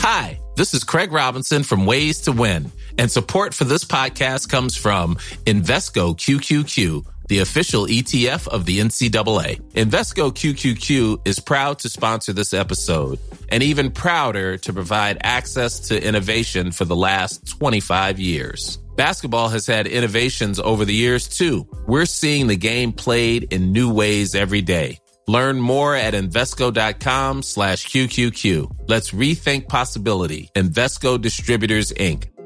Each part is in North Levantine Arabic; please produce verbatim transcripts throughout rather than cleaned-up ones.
Hi, this is Craig Robinson from Ways to Win, and support for this podcast comes from Invesco Q Q Q, the official E T F of the N C double A. Invesco Q Q Q is proud to sponsor this episode, and even prouder to provide access to innovation for the last twenty-five years. Basketball has had innovations over the years, too. We're seeing the game played in new ways every day. Learn more at Invesco.com slash QQQ. Let's rethink possibility. Invesco Distributors, Incorporated.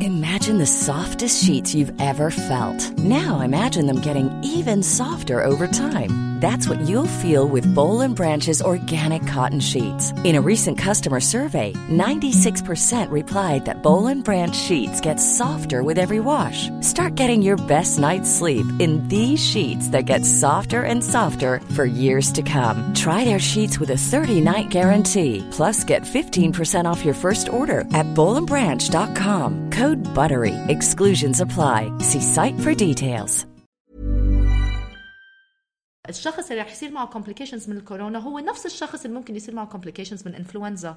Imagine the softest sheets you've ever felt. Now imagine them getting even softer over time. That's what you'll feel with Boll and Branch's organic cotton sheets. In a recent customer survey, ninety-six percent replied that Boll and Branch sheets get softer with every wash. Start getting your best night's sleep in these sheets that get softer and softer for years to come. Try their sheets with a thirty-night guarantee. Plus, get fifteen percent off your first order at boll and branch dot com. Code BUTTERY. Exclusions apply. See site for details. الشخص اللي رح يصير معه complications من الكورونا هو نفس الشخص اللي ممكن يصير معه complications من إنفلونزا.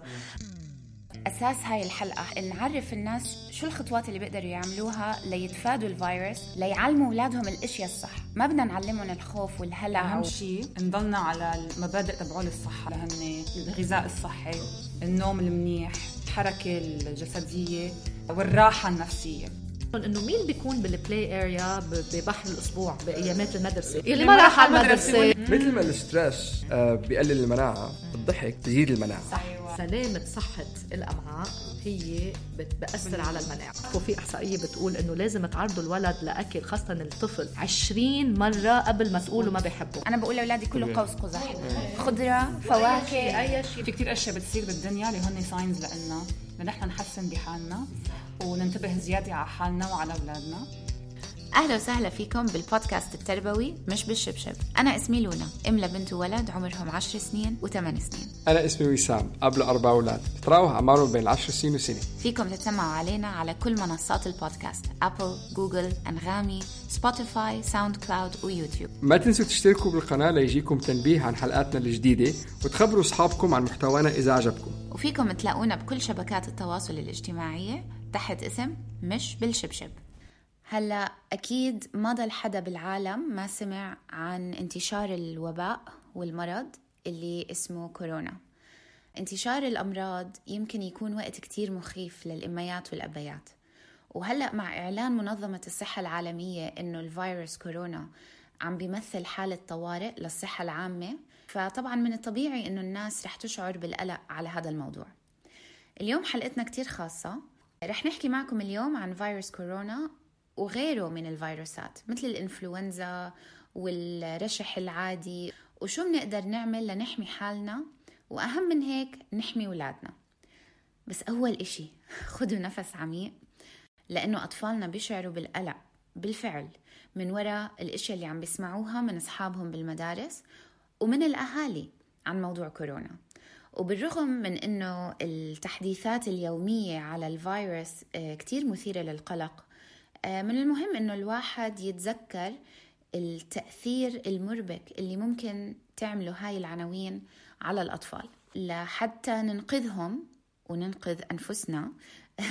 أساس هاي الحلقة نعرف الناس شو الخطوات اللي بيقدروا يعملوها ليتفادوا الفيروس، ليعلموا أولادهم الأشياء الصح. ما بدنا نعلمهم الخوف والهلع. أهم شيء نضلنا على المبادئ تبعول الصحة، لهن الغذاء الصحي، النوم المنيح، الحركة الجسدية والراحة النفسية. انه مين بيكون بالبلاي اريا ببحر الاسبوع بايامات المدرسه اللي ما راح على المدرسه؟ مثل ما الستريس بيقلل المناعه، الضحك تزيد المناعه. صح. سلامه صحه الامعاء هي بتأثر على المناعه. وفي احصائيه بتقول انه لازم تعرضوا الولد لاكل، خاصه الطفل، عشرين مره قبل ما تقولوا ما بيحبوا. انا بقول لاولادي كله قوس قزح، خضره، فواكه، اي شيء. في كتير اشياء بتصير بالدنيا اللي هن ساينز لنا لنحن نحسن بحالنا وننتبه زيادة على حالنا وعلى أولادنا. أهلا وسهلا فيكم بالبودكاست التربوي مش بالشبشب. أنا اسمي لونا، أم لبنت وولد عمرهم عشر سنين وثمان سنين. أنا اسمي وسام، أب لأربع أولاد بتراوح أعمارهم بين العشر سنين وسنة. فيكم تتسمعوا علينا على كل منصات البودكاست: أبل، جوجل، أنغامي، سبوتيفاي، ساوند كلاود ويوتيوب. ما تنسوا تشتركوا بالقناة ليجيكم تنبيه عن حلقاتنا الجديدة، وتخبروا أصحابكم عن محتوانا إذا عجبكم. وفيكم تلاقونا بكل شبكات التواصل الاجتماعية تحت اسم مش بالشبشب. هلا أكيد ما ضل حدا بالعالم ما سمع عن انتشار الوباء والمرض اللي اسمه كورونا. انتشار الأمراض يمكن يكون وقت كتير مخيف للأميات والأبيات، وهلأ مع إعلان منظمة الصحة العالمية إنه الفيروس كورونا عم بيمثل حالة طوارئ للصحة العامة، فطبعا من الطبيعي إنه الناس رح تشعر بالقلق على هذا الموضوع. اليوم حلقتنا كتير خاصة، رح نحكي معكم اليوم عن فيروس كورونا وغيره من الفيروسات مثل الإنفلونزا والرشح العادي، وشو بنقدر نعمل لنحمي حالنا، وأهم من هيك نحمي ولادنا. بس أول إشي خدوا نفس عميق، لأنه أطفالنا بيشعروا بالقلق بالفعل من وراء الأشياء اللي عم بيسمعوها من أصحابهم بالمدارس ومن الأهالي عن موضوع كورونا. وبالرغم من أنه التحديثات اليومية على الفيروس كتير مثيرة للقلق، من المهم أنه الواحد يتذكر التأثير المربك اللي ممكن تعمله هاي العناوين على الأطفال، لحتى ننقذهم وننقذ أنفسنا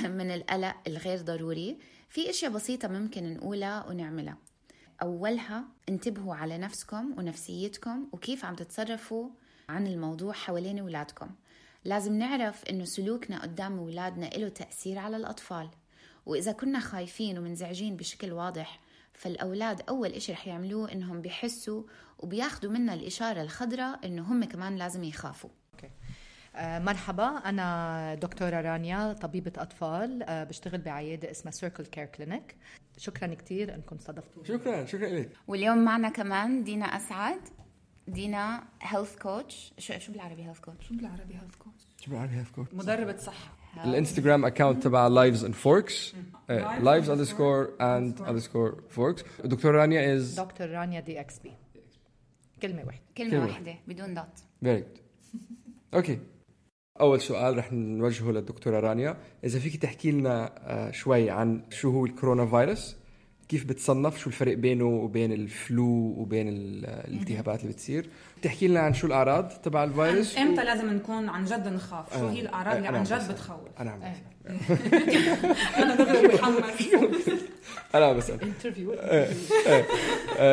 من القلق الغير ضروري. في أشياء بسيطة ممكن نقولها ونعملها. أولها انتبهوا على نفسكم ونفسيتكم وكيف عم تتصرفوا عن الموضوع حوالين أولادكم. لازم نعرف إنه سلوكنا قدام أولادنا له تأثير على الأطفال، وإذا كنا خايفين ومنزعجين بشكل واضح، فالأولاد أول إشي رح يعملوه إنهم بيحسوا وبياخدوا منا الإشارة الخضراء إنه هم كمان لازم يخافوا. آه مرحبا، أنا دكتورة رانيا، طبيبة أطفال، آه بشتغل بعيادة اسمها سيركل كير كلينيك. شكرا كتير أنكم استضفتوا. شكرا شكرا لك. واليوم معنا كمان دينا أسعد. دينا هيلث كوتش. شو شو بالعربي هيلث كوتش؟ شو بالعربي هيلث كوتش؟ شو بالعربي هيلث كوتش؟ مدربة صحة. الانستغرام اكاونت تبع لايفز اند فوركس، لايفز اندرسكور اند اندرسكور فوركس. دكتور رانيا از دكتور رانيا دي اكس بي. كلمة واحدة. كلمة واحدة بدون دوت. فيري جود. اوكي، اول سؤال رح نوجهه للدكتورة رانيا، اذا فيك تحكي لنا شوي عن شو هو الكورونا فيروس، كيف بتصنف، شو الفرق بينه وبين الفلو وبين الالتهابات اللي بتصير. بتحكي لنا عن شو الأعراض تبع الفيروس امتى و... لازم نكون عن جد نخاف، شو هي الأعراض اللي عن جد بتخوف. أنا عم أنا دغري محمد أنا بسأل انترفيو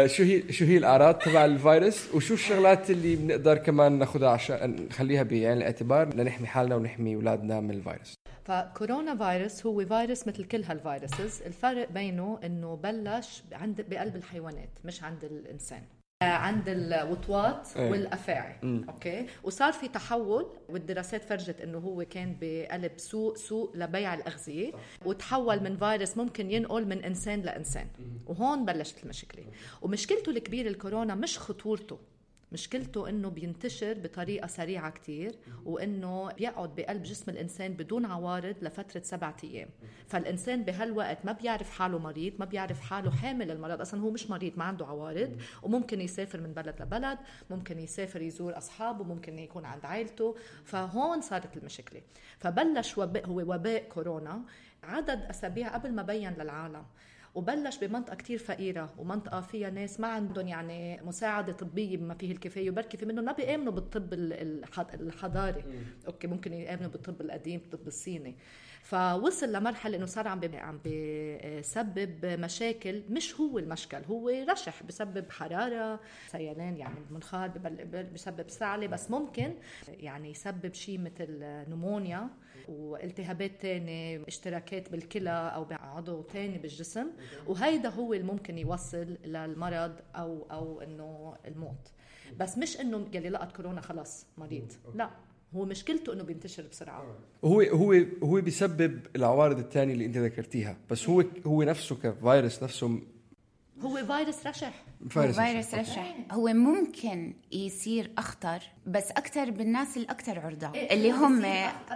شو هي شو هي الأعراض تبع الفيروس، وشو الشغلات اللي بنقدر كمان ناخدها عشان نخليها بعين الاعتبار لنحمي حالنا ونحمي أولادنا من الفيروس. فكورونا فيروس هو فيروس مثل كل هالفيروسز، الفرق بينه انه بلش عند بقلب الحيوانات مش عند الانسان، عند الوطواط والافاعي. اوكي، وصار في تحول، والدراسات فرجت انه هو كان بقلب سوق سوق لبيع الاغذيه، وتحول من فيروس ممكن ينقل من انسان لانسان، وهون بلشت المشكله. ومشكلته الكبيره الكورونا مش خطورته، مشكلته انه بينتشر بطريقه سريعه كتير، وانه بيقعد بقلب جسم الانسان بدون عوارض لفتره سبعة ايام. فالانسان بهالوقت ما بيعرف حاله مريض، ما بيعرف حاله حامل المرض، اصلا هو مش مريض، ما عنده عوارض، وممكن يسافر من بلد لبلد، ممكن يسافر يزور اصحابه، ممكن يكون عند عائلته. فهون صارت المشكله. فبلش وباء، هو وباء كورونا، عدد اسابيع قبل ما بين للعالم، وبلش بمنطقة كتير فقيرة ومنطقة فيها ناس ما عندهم يعني مساعدة طبية بما فيه الكفاية، وبركي في منهم ما بيآمنوا بالطب الحضاري. أوكي، ممكن يآمنوا بالطب القديم، بالطب الصيني. فوصل لمرحلة إنه صار عم عم بيسبب مشاكل، مش هو المشكل، هو رشح بسبب حرارة، سيلان يعني المنخار، بسبب سعلة، بس ممكن يعني يسبب شيء مثل نمونيا والتهابات تاني، اشتراكات بالكلى أو بعضو تاني بالجسم، وهيدا هو اللي ممكن يوصل للمرض أو أو إنه الموت. بس مش إنه يلي لقت كورونا خلاص مريض، لا، هو مشكلته إنه بينتشر بسرعة. هو هو هو بيسبب العوارض الثانية اللي أنت ذكرتيها، بس هو هو نفسه كفيروس نفسه هو فيروس رشح. فيروس, فيروس رشح. هو ممكن يصير أخطر بس أكتر بالناس الأكتر عرضة، إيه اللي هم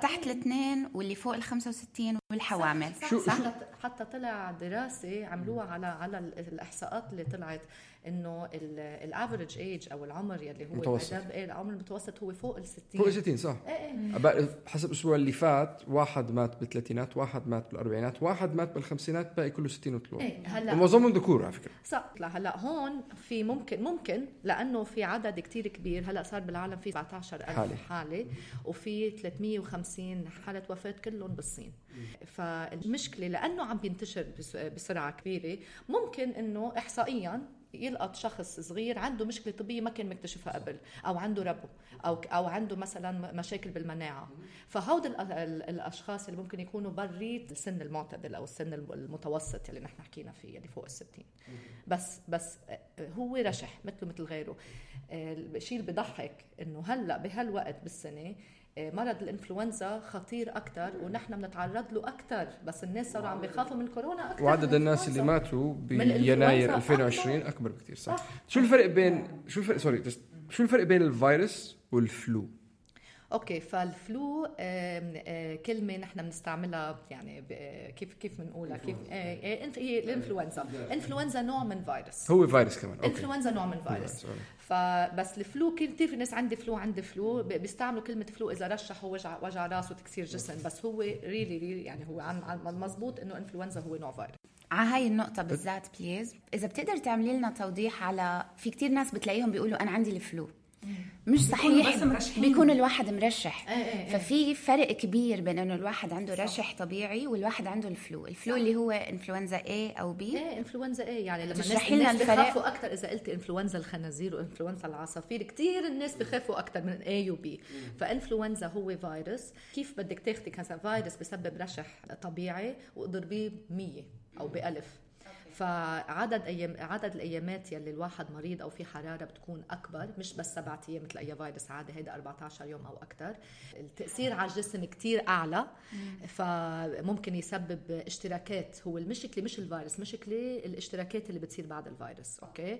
تحت الاثنين واللي فوق الخمسة وستين والحوامل. صح صح صح. حتى, حتى طلع دراسة عملوها على على الإحصاءات اللي طلعت إنه الافريج ايج أو العمر يلي هو متوسط. إيه العمر المتوسط هو فوق الستين. فوق الستين صح. إيه. حسب الأسبوع اللي فات واحد مات بالثلاثينات، واحد مات بالأربعينات، واحد مات بالخمسينات، باقي كله ستين وطلوع. إيه هلا. ومعظمهم ذكور على فكرة. صح. هلا هون في ممكن ممكن لأنه في عدد كتير كبير، هلا صار بالعالم في سبعة عشر ألف حالة. حالة وفي ثلاثمية وخمسين حالة وفاة كلهم بالصين. فالمشكلة لأنه عم بينتشر بسرعة كبيرة، ممكن إنه إحصائياً يلقط شخص صغير عنده مشكلة طبية ما كان مكتشفها قبل، أو عنده ربو، أو أو عنده مثلا مشاكل بالمناعة. فهود الأشخاص اللي ممكن يكونوا بريد السن المعتدل أو السن المتوسط اللي نحن حكينا فيه اللي فوق الستين. بس بس هو رشح مثله مثل غيره. الشيء اللي بضحك إنه هلا بهالوقت بالسنة مرض الانفلونزا خطير أكتر، ونحن بنتعرض له أكتر، بس الناس صاروا عم بيخافوا من كورونا أكتر. وعدد الناس اللي ماتوا بيناير ألفين وعشرين أكبر, أكبر بكتير. صح. صح. شو الفرق بين شو الفرق سوري شو الفرق بين الفيروس والفلو؟ اوكي، فالفلو كلمه نحن بنستعملها يعني كيف كيف بنقولها كيف هي الانفلونزا. انفلونزا نوع من فيروس، هو فيروس كمان. أوكي. انفلونزا نوع من فيروس. فبس الفلو كثير في ناس عندي فلو عندي فلو بيستعملوا كلمه فلو اذا رشحوا وجع وجع راس وتكسير جسم، بس هو ريلي ريلي يعني هو عن مزبوط انه انفلونزا هو نوع فيروس. على هاي النقطة بالذات بليز إذا بتقدر تعملي لنا توضيح على، في كتير ناس بتلاقيهم بيقولوا أنا عندي الفلو، مش صحيح، بيكون الواحد مرشح. ايه ايه ايه. ففي فرق كبير بين انه الواحد عنده رشح طبيعي والواحد عنده الفلو. الفلو اللي هو انفلونزا A او B. ايه انفلونزا A يعني لما الناس, الناس بيخافوا اكثر اذا قلت انفلونزا الخنازير وانفلونزا العصافير، كتير الناس بيخافوا اكثر من A و B. فانفلونزا هو فيروس، كيف بدك تاخدي كذا فيروس بسبب رشح طبيعي واضربيه مية او بألف. فعدد أيام عدد الأيامات يلي الواحد مريض أو في حرارة بتكون أكبر، مش بس سبعة أيام مثل أي فيروس عادي، هيدا أربعة عشر يوم أو أكتر. التأثير على الجسم كتير أعلى، فممكن يسبب اشتراكات. هو المشكلة مش الفيروس، مشكلة الاشتراكات اللي بتصير بعد الفيروس. أوكي،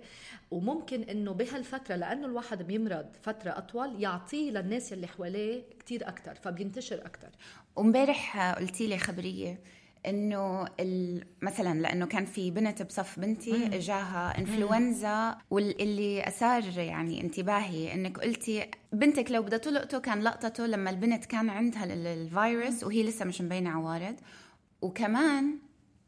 وممكن إنه بهالفترة لأنه الواحد بيمرض فترة أطول يعطيه للناس يلي حواليه كتير أكتر، فبينتشر أكتر. ومبارح قلتي لي خبرية انه مثلا لانه كان في بنت بصف بنتي جاها انفلونزا، واللي اثار يعني انتباهي انك قلتي بنتك لو بدها تلقطه كان لقطته لما البنت كان عندها الفيروس وهي لسه مش مبينه عوارض. وكمان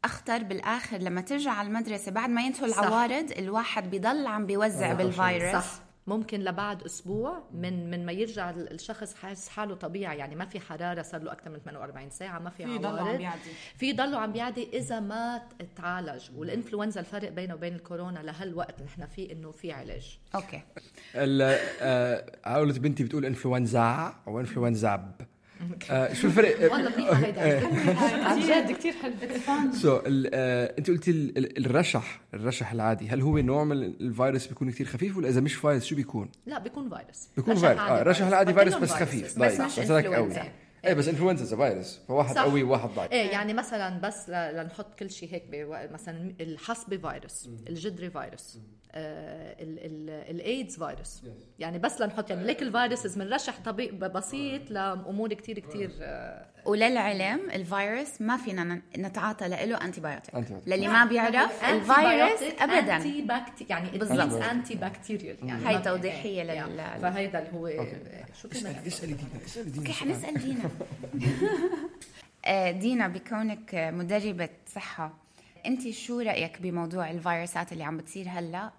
أخطر بالآخر لما ترجع على المدرسة بعد ما ينتهوا العوارض الواحد بيضل عم بيوزع بالفيروس. صح. ممكن لبعد أسبوع من من ما يرجع الشخص حاسس حاله طبيعي، يعني ما في حرارة صار له أكثر من ثمانية وأربعين ساعة، ما في عوارض، في ضلوا عم بيعدي إذا ما تعالج. والإنفلونزا الفرق بينه وبين الكورونا لهالوقت نحن فيه إنه في علاج. أوكي. عائلة بنتي بتقول إنفلونزا أو إنفلونزا. آه شو الفرق؟ والله منيحة هيدا عن جد كتير حلو. سو انت قلتي الرشح الرشح العادي، هل هو نوع من الفيروس بيكون كتير خفيف، ولا اذا مش فيروس شو بيكون؟ لا بيكون فيروس. بيكون فيروس. اه الرشح العادي فيروس بس خفيف بس مش انفلونزا. ايه بس انفلونزا فيروس، فواحد قوي وواحد ضعيف. ايه يعني مثلا بس لنحط كل شيء هيك، مثلا الحصبة فيروس، الجدري فيروس، آه الايدز فيروس، يعني بس لنحط يعني ليك الفيروس بنرشح طبيب بسيط لامور كتير كتير. آه وللعلم الفيروس ما فينا نتعاطى له انتي بايوتيك، للي ما بيعرف الفيروس ابدا انتي باكتي يعني بالضبط انتي بكتيريال، يعني هاي توضيحيه لل فهيدا اللي هو شو كمان. اسالي دينا اسالي دينا اوكي حنسال دينا. دينا بكونك مدربة صحة، انت شو رأيك بموضوع الفيروسات اللي عم بتصير هلا،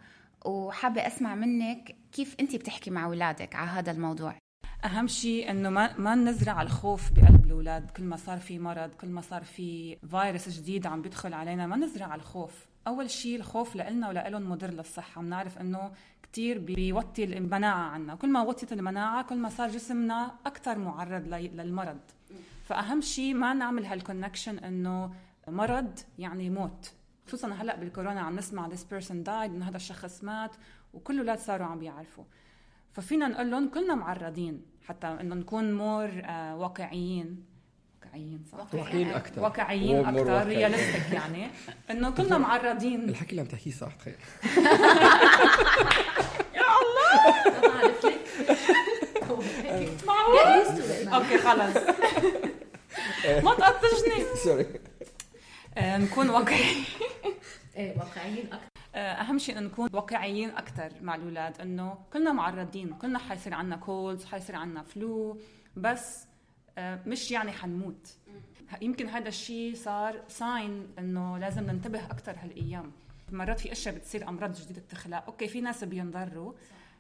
وحابة اسمع منك كيف انت بتحكي مع اولادك على هذا الموضوع؟ اهم شيء انه ما ما نزرع الخوف بقلب الاولاد. كل ما صار في مرض، كل ما صار في فيروس جديد عم بيدخل علينا، ما نزرع الخوف. اول شيء الخوف لنا ولهم مضر للصحة. بنعرف انه كتير بيوطي المناعة عنا، كل ما وطيت المناعة كل ما صار جسمنا اكثر معرض للمرض. فأهم شيء ما نعمل هالكونكشن إنه مرض يعني موت، خصوصاً هلأ بالكورونا عم نسمع this person died، إنه هذا الشخص مات، وكل الأولاد صاروا عم بيعرفوا. ففينا نقول لهم كلنا معرضين، حتى إنه نكون مور آه واقعيين واقعيين صح؟ واقعيين أكتر واقعيين أكتر رياليستيك، يعني إنه كلنا معرضين. الحكي اللي عم تحكيه صح تخيل. يا الله ما بعرف لك معقول. أوكي خلاص ما تقطشني سوري. نكون واقعيين. ايه واقعيين اكثر. اهم شيء انه نكون واقعيين اكثر مع الاولاد، انه كلنا معرضين، كلنا حيصير عنا كولز، حيصير عنا فلو، بس مش يعني حنموت. يمكن هذا الشيء صار ساين انه لازم ننتبه اكثر هالايام. مرات في اشياء بتصير امراض جديده بتخلق، اوكي في ناس بينضروا،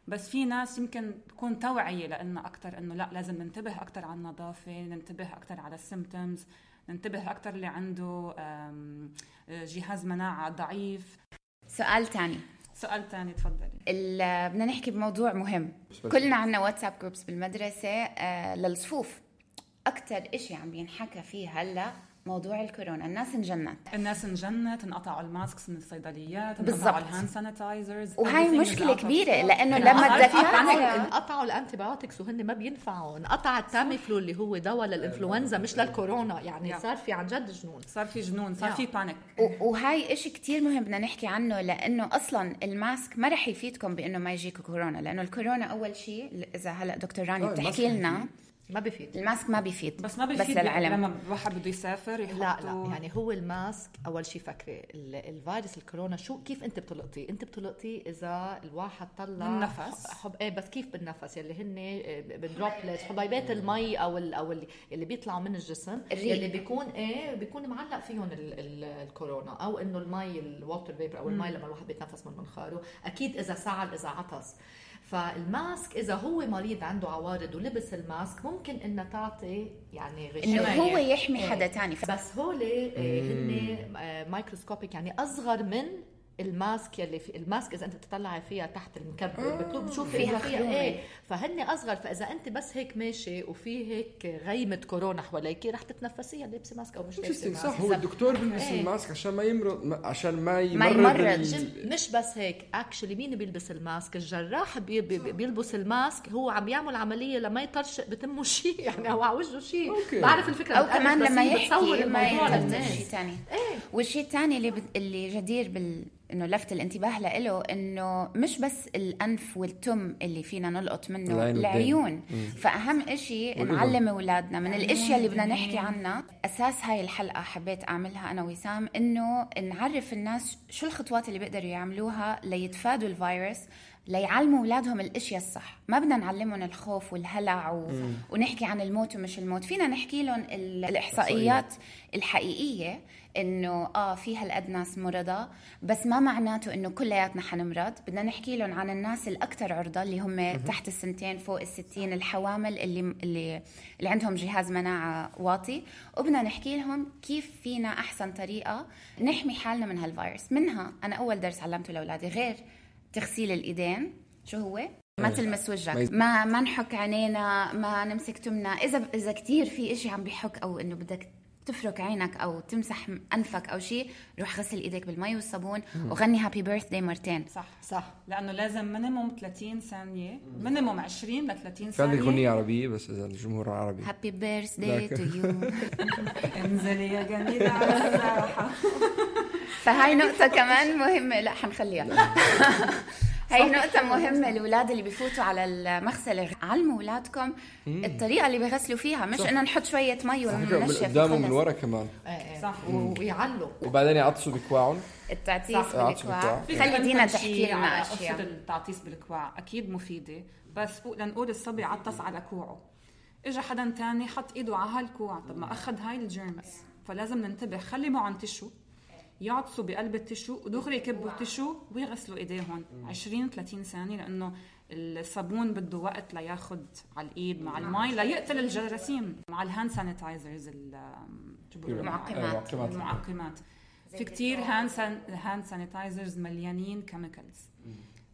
بس في ناس يمكن تكون توعية لأنه أكتر إنه لا لازم ننتبه أكتر على النظافة، ننتبه أكتر على السيمتومز، ننتبه أكتر اللي عنده جهاز مناعة ضعيف. سؤال تاني سؤال تاني تفضلي. بدنا نحكي بموضوع مهم. كلنا عنا واتساب جروبس بالمدرسة آه للصفوف. أكتر إشي عم بينحكى فيه هلأ موضوع الكورونا. الناس انجنت الناس انجنت انقطعوا الماسكس من الصيدليات، انقطعوا الهاند سانيتايزرز، وهي مشكله كبيره لانه لما الدكاتره انقطعوا الانتيبيوتكس وهن ما بينفعوا، انقطع التاميفلو اللي هو دواء للانفلونزا مش للكورونا، يعني صار في عن جد جنون، صار في جنون، صار في بانيك. وهاي إشي كتير مهم بدنا نحكي عنه، لانه اصلا الماسك ما رح يفيدكم بانه ما يجيكم كورونا، لانه الكورونا اول شيء اذا هلا دكتور راني بتحكي لنا ما بيفيد. الماسك ما بيفيد، بس ما بيفيد بس لما الواحد بده يسافر يحطه. لا لا يعني هو الماسك اول شيء فكري الفيروس الكورونا شو كيف انت بتلقطي؟ انت بتلقطي اذا الواحد طلع النفس حب ايه، بس كيف بالنفس يلي هن بالدروبلتس حبيبات المي او ال او اللي, اللي بيطلعوا من الجسم اللي بيكون ايه بيكون معلق فيهم ال ال الكورونا، او انه المي الووتر فيبر او المي لما الواحد بيتنفس من منخاره، اكيد اذا سعل اذا عطس. فالماسك إذا هو مريض عنده عوارض ولبس الماسك ممكن إنه تعطي يعني غشاية إنه هو يحمي حدا تاني، بس هول هن مايكروسكوبيك يعني أصغر من الماسك يلي في الماسك إذا أنت بتطلعي فيها تحت المكبر بتشوف فيها فيها إيه، فهن أصغر. فإذا أنت بس هيك ماشي وفي هيك غيمة كورونا حواليك رح تتنفسيها لابسة ماسك أو مش لابسة ماسك. صح، هو الدكتور بيلبس إيه؟ الماسك عشان ما يمرض، عشان ما يمرض, ما يمرض. ال... مش بس هيك، اكشلي مين بيلبس الماسك؟ الجراح بي بي بيلبس الماسك، هو عم يعمل عملية لما يطرشق بتمه شيء يعني أو على وجهه شيء. بعرف الفكرة، أو كمان لما يحكي ما يطرش شيء ثاني. إيه؟ والشيء الثاني اللي, ب... اللي جدير بال إنه لفت الانتباه له إنه مش بس الأنف والتم اللي فينا نلقط منه، العيون. فأهم إشي نعلم أولادنا من الأشياء اللي بدنا نحكي عنها. أساس هاي الحلقة حبيت أعملها أنا وسام إنه نعرف الناس شو الخطوات اللي بيقدروا يعملوها ليتفادوا الفيروس ليعلموا أولادهم الاشياء الصح. ما بدنا نعلمهم الخوف والهلع و... ونحكي عن الموت ومش الموت. فينا نحكي لهم ال... الاحصائيات الحقيقيه انه اه في هالقد ناس مرضى، بس ما معناته انه كلياتنا حنمرض. بدنا نحكي لهم عن الناس الاكثر عرضه اللي هم تحت السنتين فوق الستين، الحوامل اللي اللي اللي عندهم جهاز مناعه واطي، وبدنا نحكي لهم كيف فينا احسن طريقه نحمي حالنا من هالفيروس. منها انا اول درس علمته لاولادي غير تغسيل الايدين شو هو؟ ما تلمس وجهك، ما ما نحك عينينا، ما نمسك تمنا. اذا اذا كتير في اشي عم بيحك او انه بدك تفرك عينك او تمسح انفك او شيء، روح غسل ايديك بالمي والصابون وغني هابي بيرثداي مرتين. صح صح، لانه لازم مينيموم ثلاثين ثانيه، مينيموم عشرين ل ثلاثين ثانيه. كان يغني عربيه بس اذا الجمهور عربي. هابي بيرثداي تو يو. انزلي يا جميله على الساحه. فهاي نقطه كمان مهمه، لا حنخليها. هاي نقطة مهمة. الأولاد اللي بيفوتوا على المغسلة علموا أولادكم الطريقة اللي بيغسلوا فيها، مش إنه نحط شوية مي وننشف قدامهم من ورا كمان. صح، ويعلوا وبعدين يعطسوا بكواعهم. التعطيس بالكواع. خلي دينا تحكي لنا أشياء. التعطيس بالكواع أكيد مفيدة، بس لنقول الصبي عطس على كوعه، إجا حدا تاني حط إيده على هالكوع، طب ما أخذ هاي الجيرمز. فلازم ننتبه، خلي معهم تشو، يعطسوا بقلب التشو ودغري يكبوا التشو ويغسلوا ايديهم عشرين ثلاثين ثانيه، لانه الصابون بده وقت لياخد على الايد مع المي ليقتل الجراثيم. مع الهاند سانيتايزرز المعقمات المعقمات في كتير هاند سانيتايزرز مليانين كيميكالز.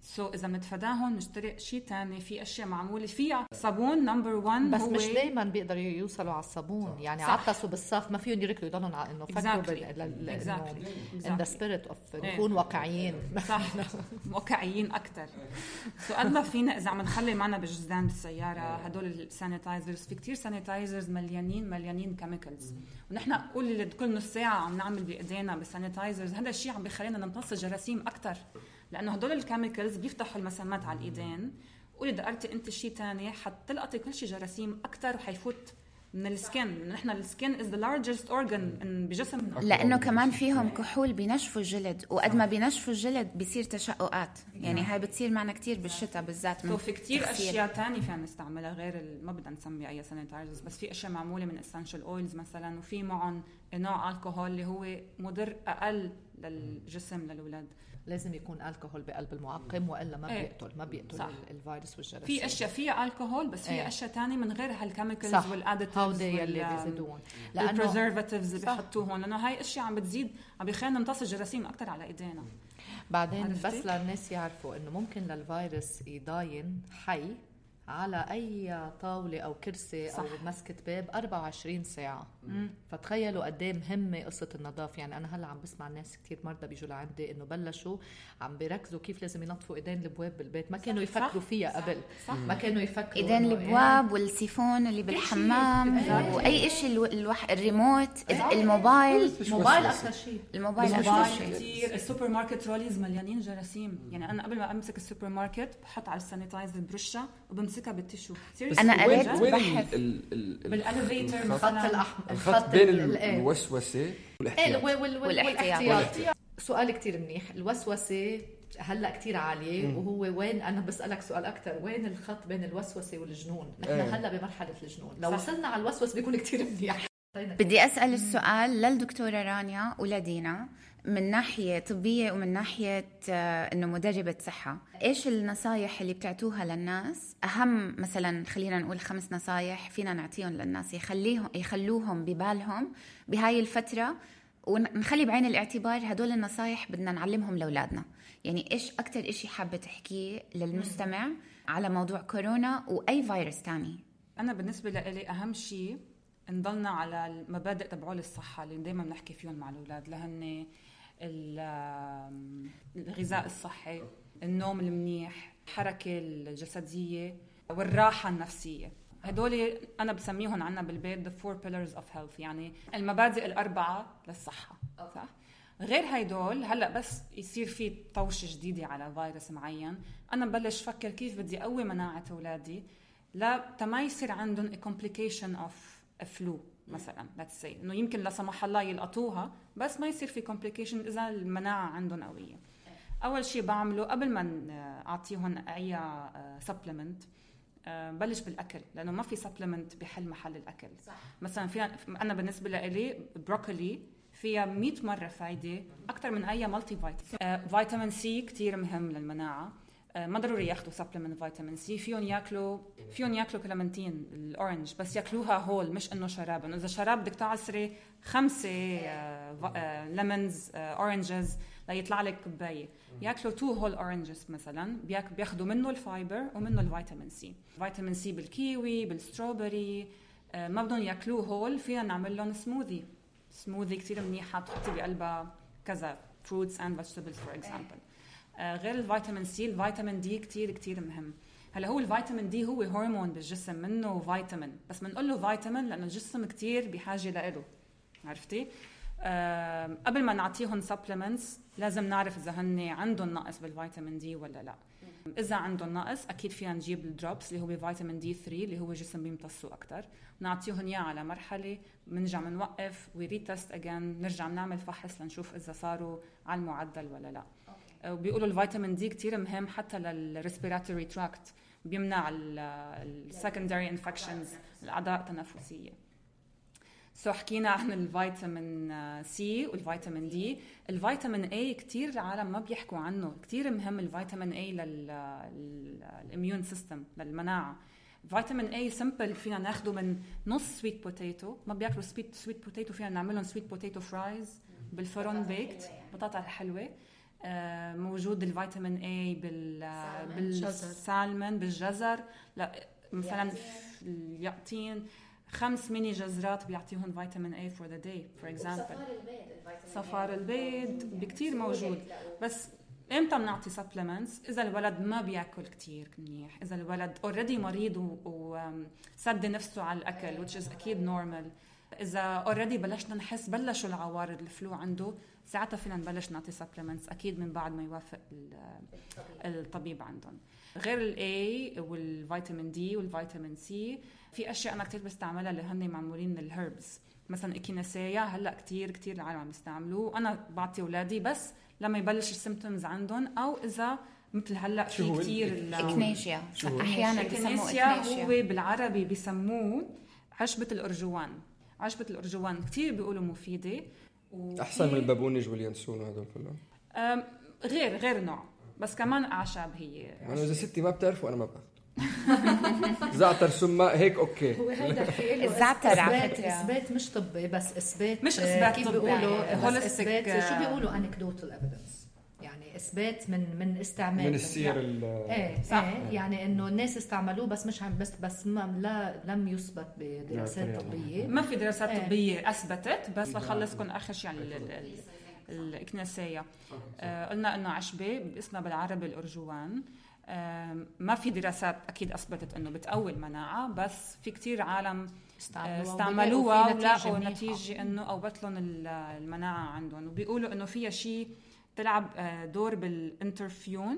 سو so, اذا متفداهم نشتري شيء تاني. في اشياء معموله فيها صابون نمبر واحد، بس مش دايما بيقدروا يوصلوا على الصابون. يعني عطسوا بالصف ما فيهم يركلوا يضلوا على انه فكروا exactly. in the spirit of نكون واقعيين. صح، واقعيين اكثر. سو قد ما فينا اذا عم نخلي معنا بالجزدان بالسياره هدول السانيتايزرز، في كتير سانيتايزرز مليانين مليانين كيميكالز، ونحن نقول كل نص ساعه عم نعمل بايدينا بالسانيتايزرز. هذا الشيء عم بيخلينا نمتص جراثيم اكثر، لانه هدول الكيميكالز بيفتحوا المسامات على الايدين، وإذا دقرتي انت شيء تاني حتلقطي كل شيء جراثيم اكثر وحيفوت من السكن. نحن السكن is the largest organ بجسمنا، لانه كمان فيهم كحول بينشفوا الجلد، وقد ما بينشفوا الجلد بيصير تشققات. يعني هاي بتصير معنا كتير بالشتاء بالذات. وفي كتير اشياء تانية فينا نستعملها غير ما بدنا نسمي اي سانيتايزرز، بس في اشياء معموله من essential oils مثلا، وفي معهم نوع الكحول اللي هو مضر اقل للجسم للاولاد. لازم يكون الكحول بقلب المعقم والا ما بيقتل ما بيقتل الفيروس والجراثيم. في اشياء فيها الكحول بس في اشياء تانية من غير هالكيميكالز والاديتيفز اللي بيزيدون، لانه البريزرفاتيفز اللي بيحطوهم، لانه هاي اشياء عم بتزيد عم بيخلينا نمتص الجراثيم اكثر على ايدينا. بعدين عرفتي؟ بس للناس يعرفوا انه ممكن للفيروس يضاين حي على أي طاولة أو كرسي صح. أو مسكة باب أربعة وعشرين ساعة. مم. فتخيلوا قدام مهمة قصة النظافة. يعني أنا هلأ عم بسمع الناس كتير مرضى بيجوا لعندي إنه بلشوا عم بيركزوا كيف لازم ينظفوا إيدين البواب بالبيت. ما كانوا يفكروا فيها قبل. صح. ما كانوا يفكروا إيدين البواب والسيفون اللي بالحمام وأي إشي الوح... الريموت الموبايل الموبايل أكثر شيء. الموبايل أكثر شيء. كتير السوبر ماركت روليز مليانين جراثيم. يعني أنا قبل ما أمسك السوبر ماركت بحط على السانيتايزر برشة وبمسكها بالتشو. أنا قريت بحث بالاليفيتر الخط الأحمر، الخط بين الوسوسة والاحتياط. سؤال كتير منيح. الوسوسة هلا كتير عالية، مم. وهو وين، أنا بسألك سؤال أكتر، وين الخط بين الوسوسة والجنون؟ نحن ايه. هلا بمرحلة الجنون، لو صح. وصلنا على الوسوسة بيكون كتير منيح. بدي أسأل السؤال للدكتورة رانيا ولدينا من ناحية طبية ومن ناحية إنه مدربة صحة. إيش النصايح اللي بتعطوها للناس؟ أهم مثلا خلينا نقول خمس نصايح فينا نعطيهم للناس يخليهم يخلوهم ببالهم بهاي الفترة، ونخلي بعين الاعتبار هدول النصايح بدنا نعلمهم لأولادنا. يعني إيش أكتر إشي حابة تحكيه للمستمع على موضوع كورونا وأي فيروس تاني؟ أنا بالنسبة لي أهم شيء نضلنا على المبادئ تبعول الصحة اللي دايما بنحكي فيهم مع الأولاد، لهن الغذاء الصحي، النوم المنيح، الحركة الجسدية والراحة النفسية. هدول أنا بسميهم عنا بالبيت the four pillars of health، يعني المبادئ الأربعة للصحة. صح؟ غير هيدول هلأ بس يصير في طوشة جديدة على فيروس معين، أنا ببلش فكر كيف بدي أقوي مناعة أولادي لا ما يصير عندهم a complication of a flu مثلا. let's say إنه يمكن لا سمح الله يلقطوها بس ما يصير في complication إذا المناعة عندهم قوية. اول شيء بعمله قبل ما اعطيهم اي سبلمنت بلش بالاكل، لانه ما في سبلمنت بحل محل الاكل. صح. مثلا فيها انا بالنسبه لي بروكولي فيها مئة مره فايده اكثر من اي مالتي فيتامين. فيتامين سي كتير مهم للمناعه، ما ضروري ياخذوا سبلمنت فيتامين سي، فيهم ياكلوا فيهم ياكلوا كلمنتين الاورنج بس ياكلوها هول، مش انه شراب. انه اذا شراب بدك تعصري خمسه ليمونز اورنجز ليطلع لك كوبايه، ياكلوا تو هول اورنجز مثلا، بياخذوا منه الفايبر ومنه الفيتامين سي. فيتامين سي بالكيوي بالستروبري، ما بدهم ياكلوه هول، فينا نعمل لهم سموذي. سموذي كتير منيحه، بتحطي بقلبها كذا fruits and vegetables for example. آه غير الفيتامين سي، الفيتامين دي كتير كتير مهم. هلا هو الفيتامين دي هو هرمون بالجسم، منه فيتامين، بس بنقول له فيتامين لانه الجسم كتير بحاجه له، عرفتي؟ آه قبل ما نعطيهم سبلمنتس لازم نعرف اذا هن عندهم نقص بالفيتامين دي ولا لا. اذا عندهم نقص اكيد فينا نجيب الدروبس اللي هو فيتامين دي ثلاثة اللي هو الجسم بيمتصه اكثر، نعطيهم اياه على مرحله، بنرجع بنوقف وريتست اجين، نرجع نعمل فحص لنشوف اذا صاروا على المعدل ولا لا. وبيقولوا الفيتامين دي كتير مهم حتى للريسبيراتوري تراكت، بيمنع السكندري انفكشنز، الاعضاء التنفسيه. سو حكينا عن الفيتامين سي والفيتامين دي. الفيتامين اي كتير العالم ما بيحكوا عنه، كتير مهم الفيتامين اي للاميون سيستم، للمناعه. فيتامين اي سمبل فينا ناخده من نص سويت بوتيتو، ما بياكلوا سويت سويت بوتيتو، فينا نعملهم سويت بوتيتو فرايز بالفرن بيكت، بطاطا الحلوه. موجود الفيتامين اي بال بالسالمون، بالجزر. لا مثلا يعطين خمس ميني جزرات بيعطيهم فيتامين اي فور ذا داي فور اكزامبل. صفار البيض بكتير موجود. بس امتى بنعطي سبلمنتس؟ اذا الولد ما بياكل كتير منيح، اذا الولد اوريدي مريض وسد نفسه على الاكل which is اكيد نورمال، اذا اوريدي بلشنا نحس بلشوا العوارض الفلو عنده، ساعتها فينا نبلش نعطي سبلمنتس اكيد من بعد ما يوافق الطبيب عندهم. غير الاي والفيتامين دي والفيتامين سي، في اشياء انا كتير بستعملها اللي هن معمولين من الهربز، مثلا اكيناسيا هلا كتير كتير العالم عم يستعملوه. انا بعطي اولادي بس لما يبلش السيمبتومز عندهم، او اذا مثل هلا في كتير الاكنيشيا، احيانا الاكنيشيا هو بالعربي بيسموه عشبة الارجوان. عشبة الارجوان كتير بيقولوا مفيده، احسن من البابونج واليانسون وهدول كلهم. غير غير نوع، بس كمان اعشاب هي. يعني اذا ستي ما بتعرفوا انا ما باخذ زعتر سماء هيك اوكي. هو هيدا في الزعتر اثبات اثبات مش طبي، بس اثبات مش اثبات كيف طبي، بيقولوا هولستيك. شو بيقولوا انكدوتال ايفيدنس، يعني اثبات من من استعمال من السير ايه صح. ايه يعني انه الناس استعملوه بس مش عم بس بس ما لا لم يثبت بدراسات طبيه. ما في دراسات ايه. طبيه اثبتت، بس لخلصكم اخر شيء يعني الاكناسيه. آه قلنا انه عشبه باسمها بالعربي الارجوان. آه ما في دراسات اكيد اثبتت انه بتقوي المناعه، بس في كتير عالم استعملوها ولقوا نتيجه انه قوت لهم المناعه عندهم، وبيقولوا انه فيها شيء تلعب دور بالانترفيون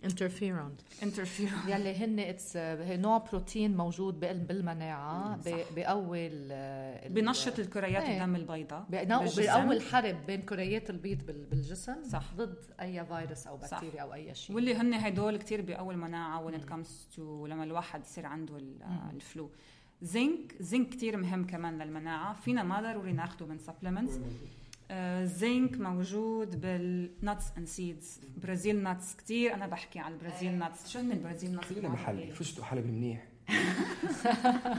انترفيرون انترفيرون يلي هن اتس نوع بروتين موجود بالمناعه، بيقوي بنشط الكريات ايه. الدم البيضاء، بيقوي الحرب بين كريات البيض بالجسم، صح، ضد اي فيروس او بكتيريا او اي شيء. واللي هن هدول كتير بيقوي المناعه when it comes to لما الواحد يصير عنده الفلو. زنك زنك كتير مهم كمان للمناعه، فينا ما ضروري ناخده من سبلمنتس. زنك موجود بالنتس اند سيدز، برازيل نتس كتير. انا بحكي على البرازيل نتس. شو هن البرازيل نتس؟ خلينا محلي، فزتوا حلبي منيح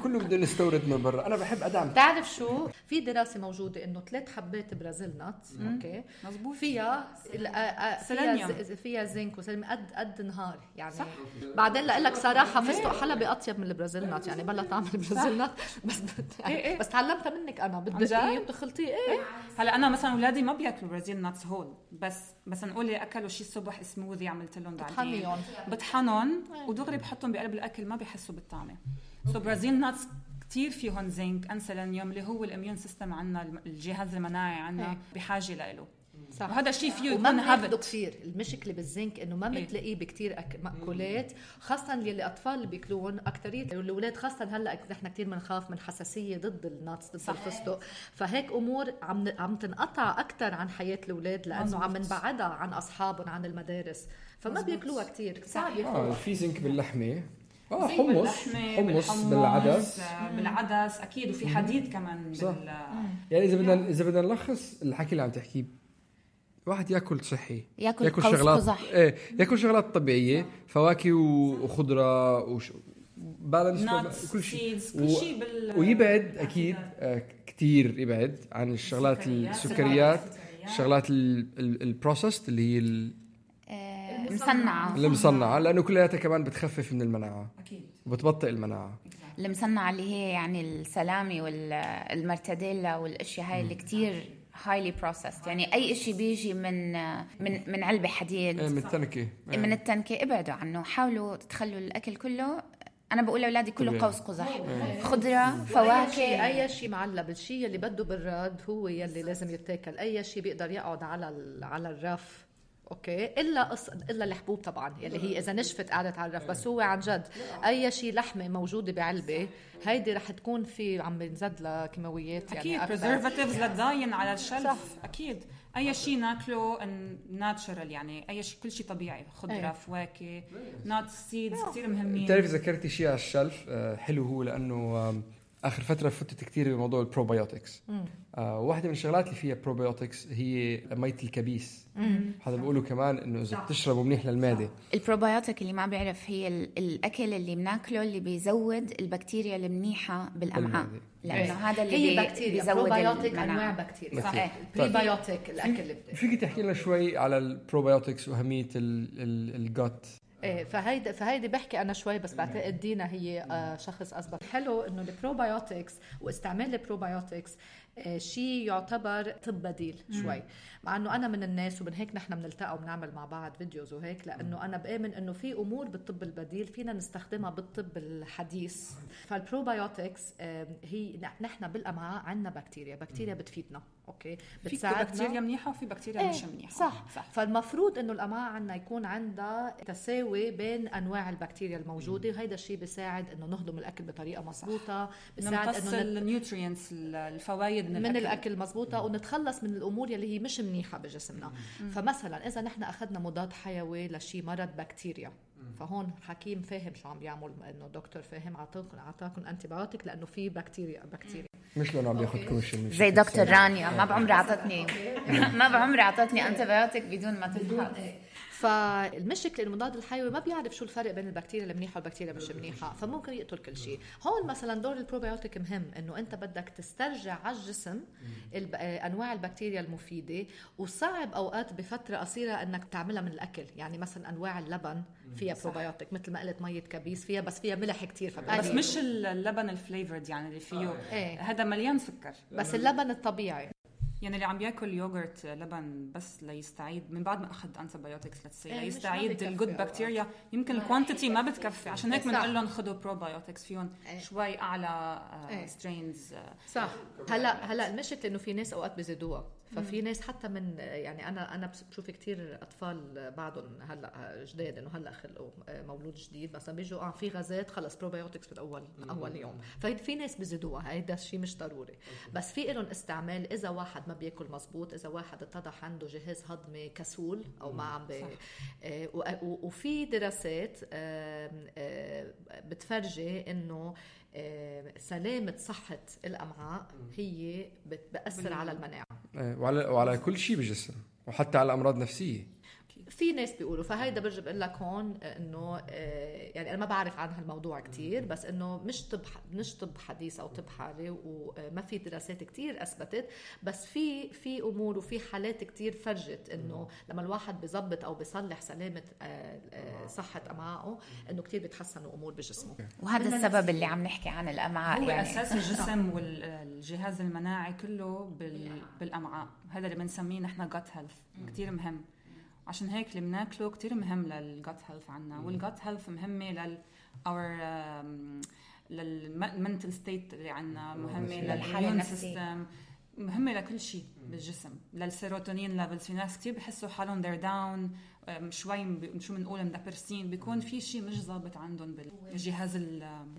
كله بدنا نستورد من برا. انا بحب ادعم. تعرف شو، في دراسه موجوده انه ثلاث حبات برازيل نتس اوكي مزبوط فيها فيها فيها زنك وسلم قد قد نهار يعني صح. بعدين لا لك صراحه فستق حلبي اطيب من البرازيل نت، يعني بلا طعم البرازيل نت، بس يعني إيه. بس تعلمتها منك انا، بدك ايه بتخلطيه ايه. هلا انا مثلا اولادي ما بياكلوا برازيل نتس هول، بس بس نقول لي اكلوا شيء الصبح سموذي عملت لهم بعدين بطحنهم ودغري بحطهم بقلب الاكل، ما بيحسوا بالطعمه. سو برازيل نتس كتير فيهم زنك انسلينيوم اللي هو الاميون سيستم عنا، الجهاز المناعي عنا بحاجه له. صح. وهذا الشيء فيه وما يكون بناخده هابت كثير. المشكله بالزنك انه ما إيه. بتلاقيه بكتير أك... مأكولات، خاصه اللي الاطفال اللي بياكلون اكثريه الاولاد، خاصه هلا نحن كثير بنخاف من حساسيه ضد الناتس ضد الفستق، فهيك امور عم عم تنقطع اكثر عن حياه الاولاد لانه عم نبعدها عن اصحابهم عن المدارس، فما بياكلوها كثير. صعب اه ياكلوها. في زنك باللحمه، اه زي حمص باللحمة، حمص بالحمص، بالعدس. آه، بالعدس اكيد، وفي حديد كمان صح. بال يعني اذا بدنا اذا بدنا نلخص الحكي اللي عم تحكيه، واحد ياكل صحي، ياكل, ياكل قوس شغلات قزح. ايه ياكل شغلات طبيعيه، فواكه وخضره وش... بالانس كل شيء كل شيء بال ويبعد اكيد آه كثير يبعد عن الشغلات السكريات، الشغلات البروسيسد اللي هي المصنعة المصنعه، لانه كلها كمان بتخفف من المناعه اكيد وبتبطئ المناعه. المصنعة اللي هي يعني السلامي والمرتديلا والاشياء هاي اللي كتير highly processed، يعني اي اشي بيجي من من من علبة حديد، من التنكه من التنكة ابعدوا عنه، حاولوا تخلوا الاكل كله. انا بقول لاولادي كله قوس قزح، خضره، فواكه، اي شيء معلب. الشيء اللي بده براد هو يلي لازم يتاكل. اي شيء بيقدر يقعد على على الرف اوكي، الا قص... الا الحبوب طبعا يلي هي اذا نشفت قعدت على الرف. بس هو عن جد اي شيء لحمه موجوده بعلبه هيدي رح تكون في عم بنزد لها كيماويات يعني اكيد بريزرفاتيفز لتضاين على الشلف. اكيد اي شيء ناكله ناتشرال، يعني اي شيء كل شيء طبيعي، خضره أيه. فواكه، نات سيدز كثير مهمين. بتعرف ذكرتي شيء على الشلف حلو، هو لانه اخر فتره فتت كثير بموضوع البروبايوتكس. آه واحده من الشغلات اللي فيها بروبايوتكس هي ميه الكبيس. هذا بيقولوا كمان انه اذا بتشربه منيح للمعده. البروبايوتيك اللي ما بيعرف هي الاكل اللي بناكله اللي بيزود البكتيريا المنيحه بالامعاء، لانه هذا اللي هي بكتيريا. بيزود بروبايوتيك انواع بكتيريا. صحيح. بريبايوتيك الاكل اللي بدك. فيك تحكي لنا شوي على البروبايوتكس واهميه الجات؟ ايه فهيدا فهيدي بحكي انا شوي، بس بعتقد دينا هي آه شخص اسبق. حلو انه البروبايوتكس واستعمال البروبايوتكس آه شيء يعتبر طب بديل شوي، مع انه انا من الناس ومن هيك نحن بنلتقى وبنعمل مع بعض فيديوز وهيك، لانه انا بآمن انه في امور بالطب البديل فينا نستخدمها بالطب الحديث. فالبروبايوتكس آه هي نحن بالامعاء عندنا بكتيريا بكتيريا بتفيدنا اوكي، بتساعدنا. في بكتيريا منيحه وفي بكتيريا ايه مش منيحه. صح. صح. فالمفروض انه الامعاء عندنا يكون عندها تساوي بين انواع البكتيريا الموجوده، وهيدا الشيء بيساعد انه نهضم الاكل بطريقه مضبوطه، بيساعد انه النيوترينتس الفوائد من, من الاكل, الأكل مضبوطه، ونتخلص من الامور اللي هي مش منيحه بجسمنا. مم. فمثلا اذا نحن اخذنا مضاد حيوي لشي مرض بكتيريا، فهون حكيم فاهم شو عم بيعمل، انه دكتور فاهم عطاكم عطاكم انتيبيوتيك لانه في بكتيريا بكتيريا مش لانه عم ياخذ كوميشن زي دكتور رانيا. ما بعمري عطتني ما بعمري عطتني انتيبيوتيك بدون ما تفحص. فالمشكله المضاد الحيوي ما بيعرف شو الفرق بين البكتيريا المنيحه والبكتيريا مش منيحه، فممكن يقتل كل شيء. هون مثلا دور البروبيوتيك مهم، انه انت بدك تسترجع على الجسم انواع البكتيريا المفيده، وصعب اوقات بفتره قصيره انك تعملها من الاكل. يعني مثلا انواع اللبن فيها بروبيوتيك، مثل ما قلت ميه كبيس فيها، بس فيها ملح كتير، بس مش اللبن الفليفرد يعني اللي فيه ايه. هذا مليان سكر، بس اللبن الطبيعي. يعني اللي عم بياكل يوغرت لبن بس ليستعيد من بعد ما اخذ انتيبيوتكس لتسي ايه ليستعيد الجود بكتيريا، يمكن الكوانتيتي ما بتكفي، عشان هيك بنقول لهم خذوا بروبيوتكس فيهم ايه. شوي اعلى ايه. سترينز صح. هلا هلا المشكله انه في ناس اوقات بيزيدوها، ففي ناس حتى من يعني انا انا بشوف كتير اطفال بعضهم هلا جداد انه هلا خلقوا مولود جديد مثلا بيجوا اه في غازات خلص بروبيوتكس من اول من اول يوم، ففي ناس بيزيدوها، هيدا الشيء مش ضروري. بس في لهم استعمال اذا واحد ما بياكل مزبوط، اذا واحد اتضح عنده جهاز هضمي كسول او ما عم بي آه وفي دراسات آه آه بتفرجي انه سلامة صحة الأمعاء هي بتأثر على المناعة وعلى وعلى كل شيء بالجسم، وحتى على أمراض نفسية. في ناس بيقولوا، فهيدا برجع بقول لك هون انه يعني انا ما بعرف عن هالموضوع كتير، بس انه مش طب مش طب حديث او طب حالي، وما في دراسات كتير اثبتت، بس في في امور وفي حالات كتير فرجت انه لما الواحد بيظبط او بيصلح سلامه صحه امعائه انه كتير بيتحسنوا امور بجسمه. وهذا السبب اللي عم نحكي عن الامعاء، هو يعني اساس الجسم والجهاز المناعي كله بالامعاء، هذا اللي بنسميه نحن gut health، كتير مهم. عشان هيك اللي بناكله كتير مهم للجات هيلث عنا، والجات هيلث مهمة لل our للمنتل ستيت اللي عنا، مهمة للإيميون سيستم، مهمة لكل شيء بالجسم، للسيروتونين ليفلز. في ناس كتير بحسوا حالهم they're down شوي شو بنقول مدبرسين، بيكون في شيء مش ضابط عندهم بالجهاز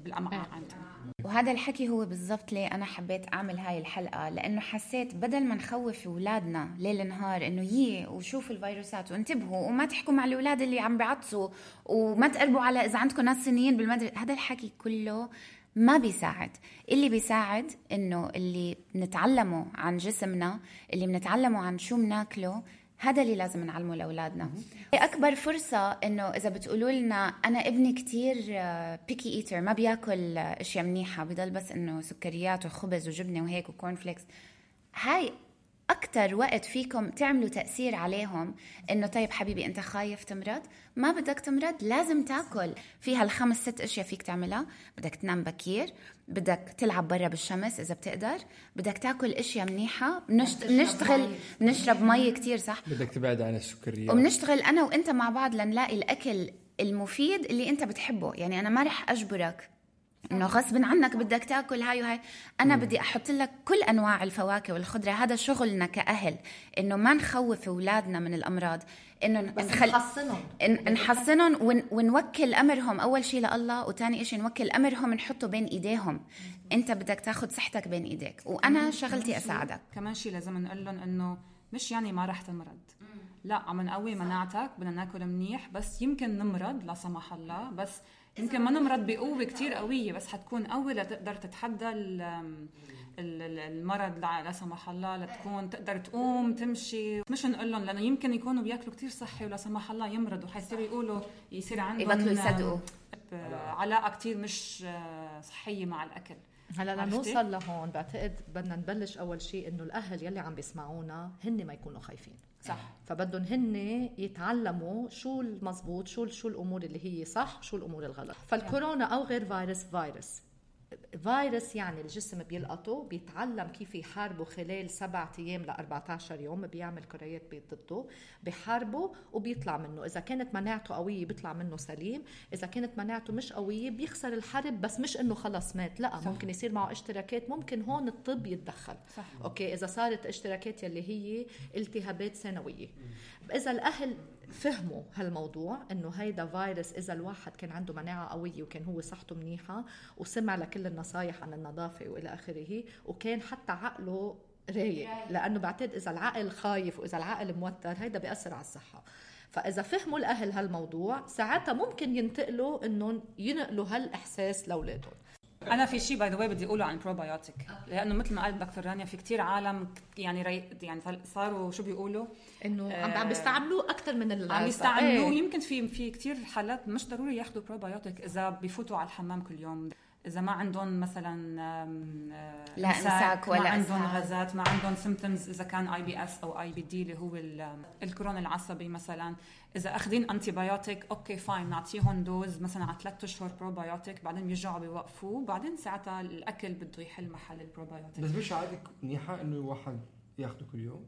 بالأمعاء عندهم. وهذا الحكي هو بالضبط ليه أنا حبيت أعمل هاي الحلقة، لأنه حسيت بدل ما نخوف أولادنا ليل نهار إنه يي وشوفوا الفيروسات وانتبهوا وما تحكوا مع الأولاد اللي عم بيعطسوا وما تقربوا على إذا عندكم ناس سنيين بالمدرسة، هذا الحكي كله ما بيساعد. اللي بيساعد إنه اللي نتعلمه عن جسمنا، اللي بنتعلمه عن شو مناكله، هذا اللي لازم نعلمه لأولادنا. أكبر فرصة إنه إذا بتقولوا لنا أنا ابني كتير بيكي إيتر ما بياكل أشياء منيحة، بيضل بس إنه سكريات وخبز وجبنة وهيك وكورن فليكس، هاي أكتر وقت فيكم تعملوا تأثير عليهم. إنه طيب حبيبي أنت خايف تمرض، ما بدك تمرض، لازم تاكل. فيها الخمس ست أشياء فيك تعملها، بدك تنام بكير، بدك تلعب برا بالشمس إذا بتقدر، بدك تاكل أشياء منيحة، بنشتغل بنشرب مي كتير، صح، بدك تبعد عن السكريات، وبنشتغل أنا وإنت مع بعض لنلاقي الأكل المفيد اللي أنت بتحبه. يعني أنا ما رح أجبرك إنه غصب عنك بدك تأكل هاي وهاي، أنا بدي أحط لك كل أنواع الفواكه والخضرة. هذا شغلنا كأهل، إنه ما نخوف أولادنا من الأمراض، إنه نخل... نحصنهم نحصنهم ون... ونوكل أمرهم أول شيء لله، وتاني إشي نوكل أمرهم نحطه بين إيديهم. أنت بدك تاخد صحتك بين إيديك وأنا شغلتي أساعدك. كمان شيء لازم نقول لهم إنه مش يعني ما رح تمرض، لا، عم نقوي مناعتك، بدنا ناكل منيح، بس يمكن نمرض لا سمح الله، بس يمكن ما نمرض بقوة كتير قوية، بس حتكون قوي لتقدر تتحدى المرض لا سمح الله، لتكون تقدر تقوم تمشي. مش نقول لهم لأنه يمكن يكونوا بياكلوا كتير صحي ولا سمح الله يمرضوا، حيصيروا يقولوا يصير عندهم يبطلوا يصدقوا علاقة كتير مش صحية مع الأكل. هلا لنوصل لهون بعتقد بدنا نبلش أول شيء إنه الأهل يلي عم بيسمعونا هن ما يكونوا خايفين، صح، فبدهم هن يتعلموا شو المزبوط، شو شو الأمور اللي هي صح، شو الأمور الغلط. فالكورونا أو غير فيروس، فيروس فيروس يعني الجسم بيلقطه، بيتعلم كيف يحاربه خلال سبعة أيام لأربعة عشر يوم، بيعمل كريات بيض ضده، بيحاربه وبيطلع منه. إذا كانت مناعته قوية بيطلع منه سليم، إذا كانت مناعته مش قوية بيخسر الحرب، بس مش إنه خلص مات، لا، صح. ممكن يصير معه اشتراكات، ممكن هون الطب يتدخل، صح. أوكي، إذا صارت اشتراكات يلي هي التهابات ثانوية. إذا الأهل فهموا هالموضوع إنه هيدا فيروس، إذا الواحد كان عنده مناعة قوية وكان هو صحته منيحة وسمع لكل النصايح عن النظافة وإلى آخره، وكان حتى عقله رايق، لأنه بعتقد إذا العقل خايف وإذا العقل موتر هيدا بيأثر على الصحة. فإذا فهموا الأهل هالموضوع ساعتها ممكن ينتقلوا إنه ينقلوا هالإحساس لأولادهم. أنا في شيء باي ذا واي بدي أقوله عن بروبايوتيك، لأنه مثل ما قال دكتور رانيا في كتير عالم يعني ري... يعني صاروا شو بيقولوا إنه آه عم بيستعملوه أكتر من اللي عم يستعملوه. ايه. يمكن في في كتير حالات مش ضروري ياخدوا بروبايوتيك إذا بيفوتوا على الحمام كل يوم، إذا ما عندهم مثلا لا إمساك ولا ما عندهم غازات، ما عندهم سيمبتومز، إذا كان آي بي إس أو آي بي دي اللي هو الكورونا العصبي مثلا، إذا أخذين أنتيبيوتيك أوكي فاين، نعطيهم دوز مثلا على ثلاثة أشهر بروبايوتيك، بعدين بيرجعوا بيوقفوه، بعدين ساعتها الأكل بده يحل محل البروبايوتيك. بس مش عادي منيحة إنه واحد ياخده كل يوم؟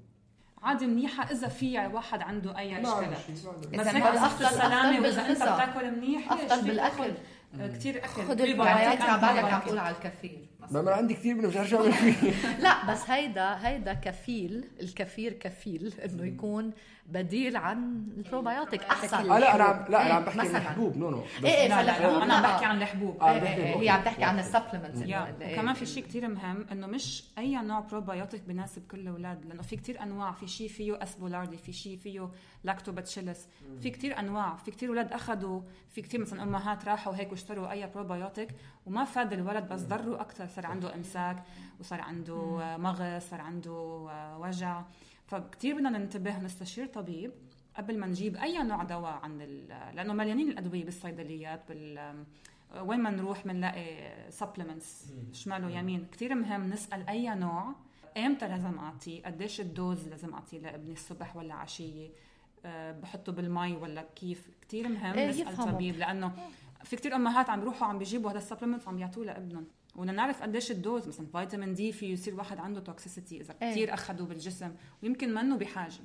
عادي منيحة إذا في واحد عنده أي اشكالات، بس هيك أفضل السلامة، وإذا أنت بتاكل منيح أفضل بالأكل كتير أكل. خذوا البروبايوتيك على بالك عم تقول على الكفيل، ما أنا عندي كتير منه مش عارف أعمل فيه. لا بس هيدا هيدا كفيل، الكفير كفيل إنه يكون بديل عن البروبايوتيك أحسن. لا أنا عم لا أنا عم بحكي عن الحبوب. نو نو إيه لا لا أنا عم بحكي عن الحبوب. هي عم تحكي عن السبلمنتس. وكمان في شيء كتير مهم إنه مش أي نوع بروبايوتيك بناسب كل الأولاد، لأنه في كتير أنواع. في شيء فيه أسبولاردي، في شيء فيه لاكتوباتشيلس، في كتير أنواع. في كتير أولاد أخذوا، في كتير مثلا أمهات راحوا هيك واشتروا أي بروبايوتيك وما فاد الولد، بس ضروا أكتر، صار عنده إمساك وصار عنده مغص، صار عنده وجع. فكتير بدنا ننتبه نستشير طبيب قبل ما نجيب أي نوع دواء عن لأنه مليانين الأدوية بالصيدليات بال وين ما نروح منلاقي supplements شماله يمين. كتير مهم نسأل أي نوع إمتى لازم أعطيه، قديش الدوز لازم أعطيه لابني الصبح ولا عشية، أه بحطه بالماء ولا كيف. كتير مهم إيه نسأل يفهموا. طبيب، لأنه في كتير أمهات عم بيروحوا عم بيجيبوا هذا السبلمنت عم يعطوه لابنهم، ونعرف قديش الدوز. مثلا فيتامين دي في يصير واحد عنده توكسيسيتي إذا إيه. كتير أخذوا بالجسم ويمكن منه بحاجة.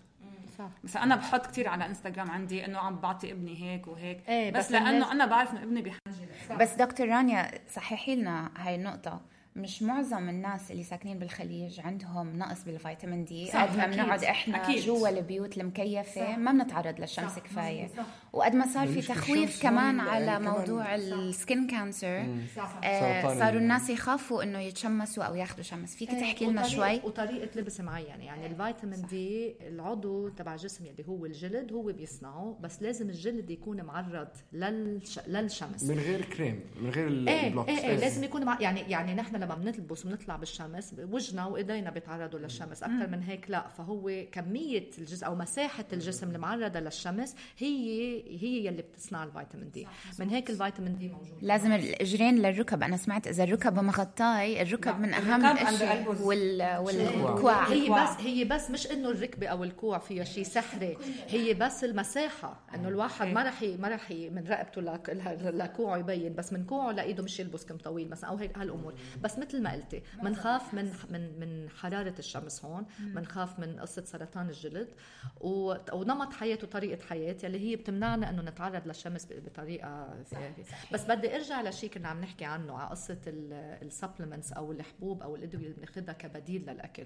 صح. مثلا أنا بحط كتير على إنستغرام عندي إنه عم بعطي ابني هيك وهيك إيه بس, بس لأنه أنا بعرف إنه ابني بحاجة. بس دكتور رانيا صححي لنا هاي النقطة، مش معظم الناس اللي ساكنين بالخليج عندهم نقص بالفيتامين دي. صح، قد ما أكيد. بنقعد احنا أكيد. جوا البيوت المكيفة صح. ما بنتعرض للشمس صح. كفاية. صح. وقد ما صار في مش تخويف الشمس كمان هون، على يعني كمان- موضوع السكين كانسر، صح. آه سرطان صاروا ال- الناس يخافوا انه يتشمسوا او ياخذوا شمس. فيك تحكي لنا وطريقة- شوي؟ وطريقة لبس معينة، يعني الفيتامين دي العضو تبع الجسم اللي هو الجلد هو بيصنعه، بس لازم الجلد يكون معرض للش... للشمس. من غير كريم، من غير ايه البلوكس. ايه ايه لازم يكون مع... يعني يعني نحن لما بنلبس وبنطلع بالشمس وجهنا وايدينا بيتعرضوا للشمس اكثر من هيك لا. فهو كميه الجسم او مساحه الجسم المعرضه للشمس هي هي يلي بتصنع الفيتامين دي. من هيك الفيتامين دي موجود. لازم الاجرين للركب. انا سمعت اذا الركب مغطاي، الركب من اهم الركب عند الاشياء قلبه وال... والكوع. هي بس هي بس مش انه الركبه او الكوع فيها شيء سحري، هي بس المساحه انه الواحد ما رح ما رح من رقبته لكوعه يبين، بس من كوعه لايده مش يلبس كم طويل مثلا او هيك هالامور. بس مثل ما قلتي بنخاف من من من حراره الشمس هون، بنخاف من قصه سرطان الجلد و... ونمط حياه وطريقه حياه يلي هي بتمنعنا انه نتعرض للشمس بطريقه. بس بدي ارجع لشيء كنا عم نحكي عنه على قصه السبلمنتس او الحبوب او الادويه اللي بناخذها كبديل للاكل.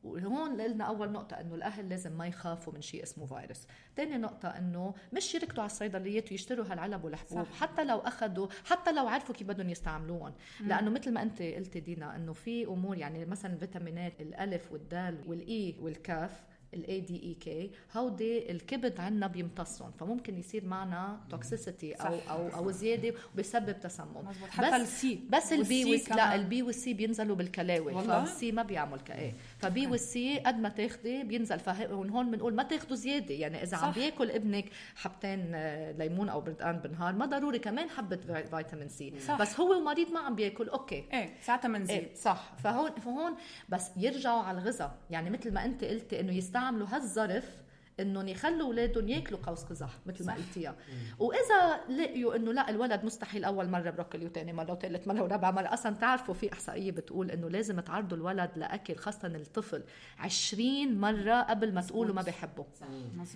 وهون قلنا أول نقطة إنه الأهل لازم ما يخافوا من شيء اسمه فيروس. تاني نقطة إنه مش يركضوا على الصيدليات ويشتروا هالعلب والحبوب، حتى لو أخذوا، حتى لو عرفوا كيف بدهم يستعملوهم. لأنه مثل ما أنت قلتي دينا إنه في أمور، يعني مثلا الفيتامينات الألف والدال والإي والكاف الاي دي اي كي هودي الكبد عنا بيمتصهم، فممكن يصير معنا توكسيسيتي او او او زياده وبيسبب تسمم. حتى السي بس البي والسي لا البي والسي بينزلوا بالكلاوي، فالسي ما بيعمل كايه. فبي والسي قد ما تاخدي بينزل. فهون بنقول ما تاخدوا زياده، يعني اذا صح. عم بياكل ابنك حبتين ليمون او بردقان بالنهار ما ضروري كمان حبه فيتامين سي، صح. بس هو ومريض ما عم بياكل اوكي ايه ساعتها منزيد إيه صح. فهون فهون بس يرجعوا على الغذاء، يعني مثل ما انت قلتي انه يستعملوا هالظرف انهم يخلوا اولادهم ياكلوا قوس قزح مثل ما قلتيها. واذا لقيوا انه لا الولد مستحيل اول مره بروكلي وثاني مره وثالث مره ورابع مره، اصلا تعرفوا في احصائيه بتقول انه لازم تعرضوا الولد لاكل خاصه الطفل عشرين مره قبل ما تقولوا ما بيحبوا.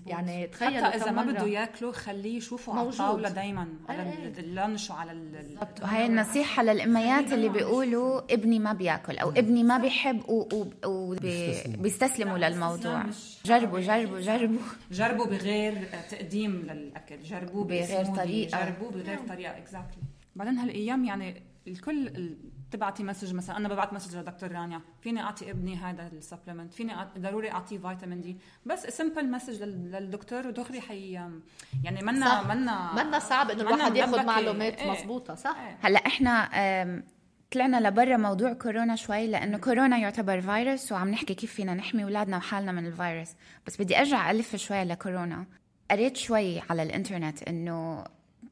يعني تخيلوا حتى اذا ما بده ياكله خليه يشوفوا على الطاوله دايما على اللانش وعلى ال... وهي النصيحه للاميات اللي بيقولوا ابني ما بياكل او ابني ما بيحب وبيستسلموا للموضوع. جربوا جربوا جربوا جربوا بغير تقديم للاكل، جربوا بغير طريقه، جربوا بغير طريقه اكزاكتلي. بعدين هالايام يعني الكل تبعتي مسج، مثلا انا ببعت مسج لدكتور رانيا فيني اعطي ابني هذا السبلمنت، فيني ضروري اعطيه فيتامين دي، بس سمبل مسج للدكتور ودغري حي يعني منا منا منا صعب انه الواحد ياخذ معلومات ايه مزبوطه صح. ايه. هلا احنا طلعنا لبرا موضوع كورونا شوي، لأنه كورونا يعتبر فيروس وعم نحكي كيف فينا نحمي أولادنا وحالنا من الفيروس. بس بدي أرجع ألف شوي لكورونا. قريت شوي على الإنترنت إنه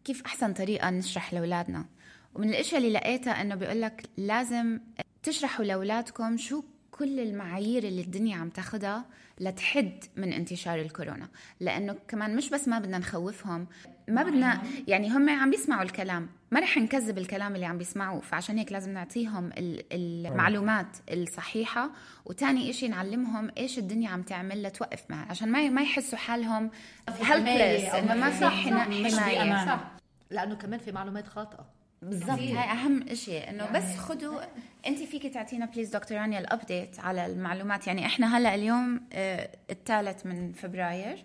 كيف أحسن طريقة نشرح لأولادنا، ومن الأشياء اللي لقيتها إنه بيقولك لازم تشرحوا لأولادكم شو كل المعايير اللي الدنيا عم تاخدها لتحد من انتشار الكورونا. لأنه كمان مش بس ما بدنا نخوفهم، ما بدنا يعني هم عم بيسمعوا الكلام، ما رح نكذب الكلام اللي عم بيسمعوه، فعشان هيك لازم نعطيهم المعلومات الصحيحة. وتاني إشي نعلمهم إيش الدنيا عم تعمل لتوقف معها، عشان ما ما يحسوا حالهم helpless إنه ما في حماية، صح. لأنه كمان في معلومات خاطئة بالضبط. هاي أهم إشي إنه يعني بس خدوا. أنت فيك تعطينا بليز دكتور رانيا الأبديت على المعلومات. يعني إحنا هلأ اليوم آه الثالث من فبراير،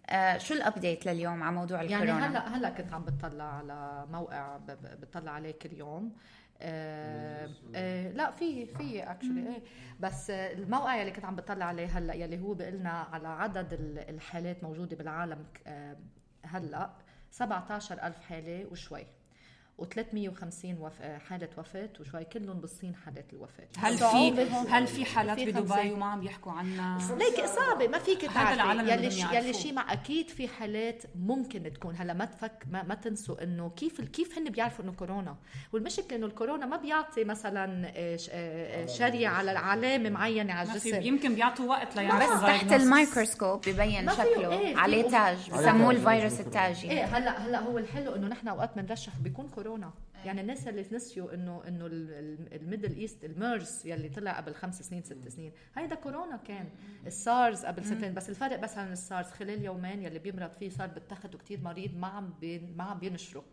آه شو الأبديت لليوم على موضوع الكورونا؟ يعني هلأ هلأ كنت عم بتطلع على موقع بتطلع عليه كل يوم. آه آه لا في في اكشلي ايه بس الموقع اللي كنت عم بتطلع عليه هلا يلي هو بيقلنا على عدد الحالات موجوده بالعالم آه هلا سبعة عشر ألف حاله وشوي، وثلاثمية وخمسين وف... حالة وفاة وشوي، كلهم بالصين حالات الوفاة. هل في هل في حالات بدبي وما عم يحكوا عنها؟ ليك صعبة ما فيك تعرفي يلي ش... يلي شيء مع أكيد في حالات ممكن تكون. هلا ما تفك ما, ما تنسوا إنه كيف كيف هن بيعرفوا إنه كورونا، والمشكلة إنه الكورونا ما بيعطي مثلا شريعة على علامة معينة على الجسم، يمكن بيعطوا وقت ليعرفوا. بس تحت الميكروسكوب ببين شكله ايه عليه تاج بسموه الفيروس التاجي. ايه هلا هلا هو الحلو إنه نحن أوقات بنرشح بيكون كورونا يعني الناس اللي نسيوا انه انه الميدل ايست الميرز يلي طلع قبل خمس سنين ست سنين هيدا كورونا كان. السارز قبل سنتين بس الفرق بس عن السارز خلال يومين يلي بيمرض فيه صار بتاخد كتير مريض ما عم بين ما عم بينشروا.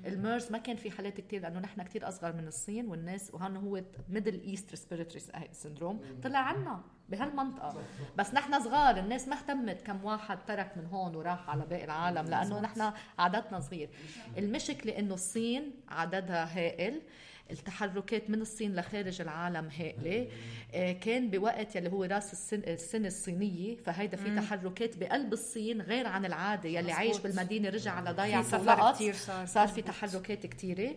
الميرز ما كان في حالات كتير لانه نحن كتير اصغر من الصين والناس وهون هو ميدل ايست ريسبيراتوري سيندروم طلع عنا بهالمنطقه بس نحن صغار الناس ما اهتمت كم واحد ترك من هون وراح على باقي العالم لانه نحن عددنا صغير. المشكله انه الصين عددها هائل التحركات من الصين لخارج العالم هائله كان بوقت يلي هو راس السن السنه الصينيه فهيدا في تحركات بقلب الصين غير عن العاده يلي عايش بالمدينه رجع على ضيعه سفر كتير صار صار في تحركات كتيره.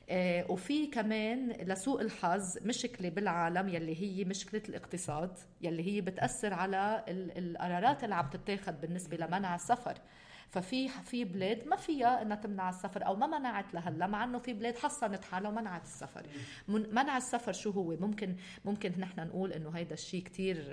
آه وفي كمان لسوء الحظ مشكله بالعالم يلي هي مشكله الاقتصاد يلي هي بتاثر على القرارات اللي عم تتاخذ بالنسبه لمنع السفر. ففي في بلاد ما فيها انها تمنع السفر او ما منعت لهلا مع انه في بلاد حصنت حالها ومنعت السفر. منع السفر شو هو ممكن ممكن نحن نقول انه هيدا الشيء كتير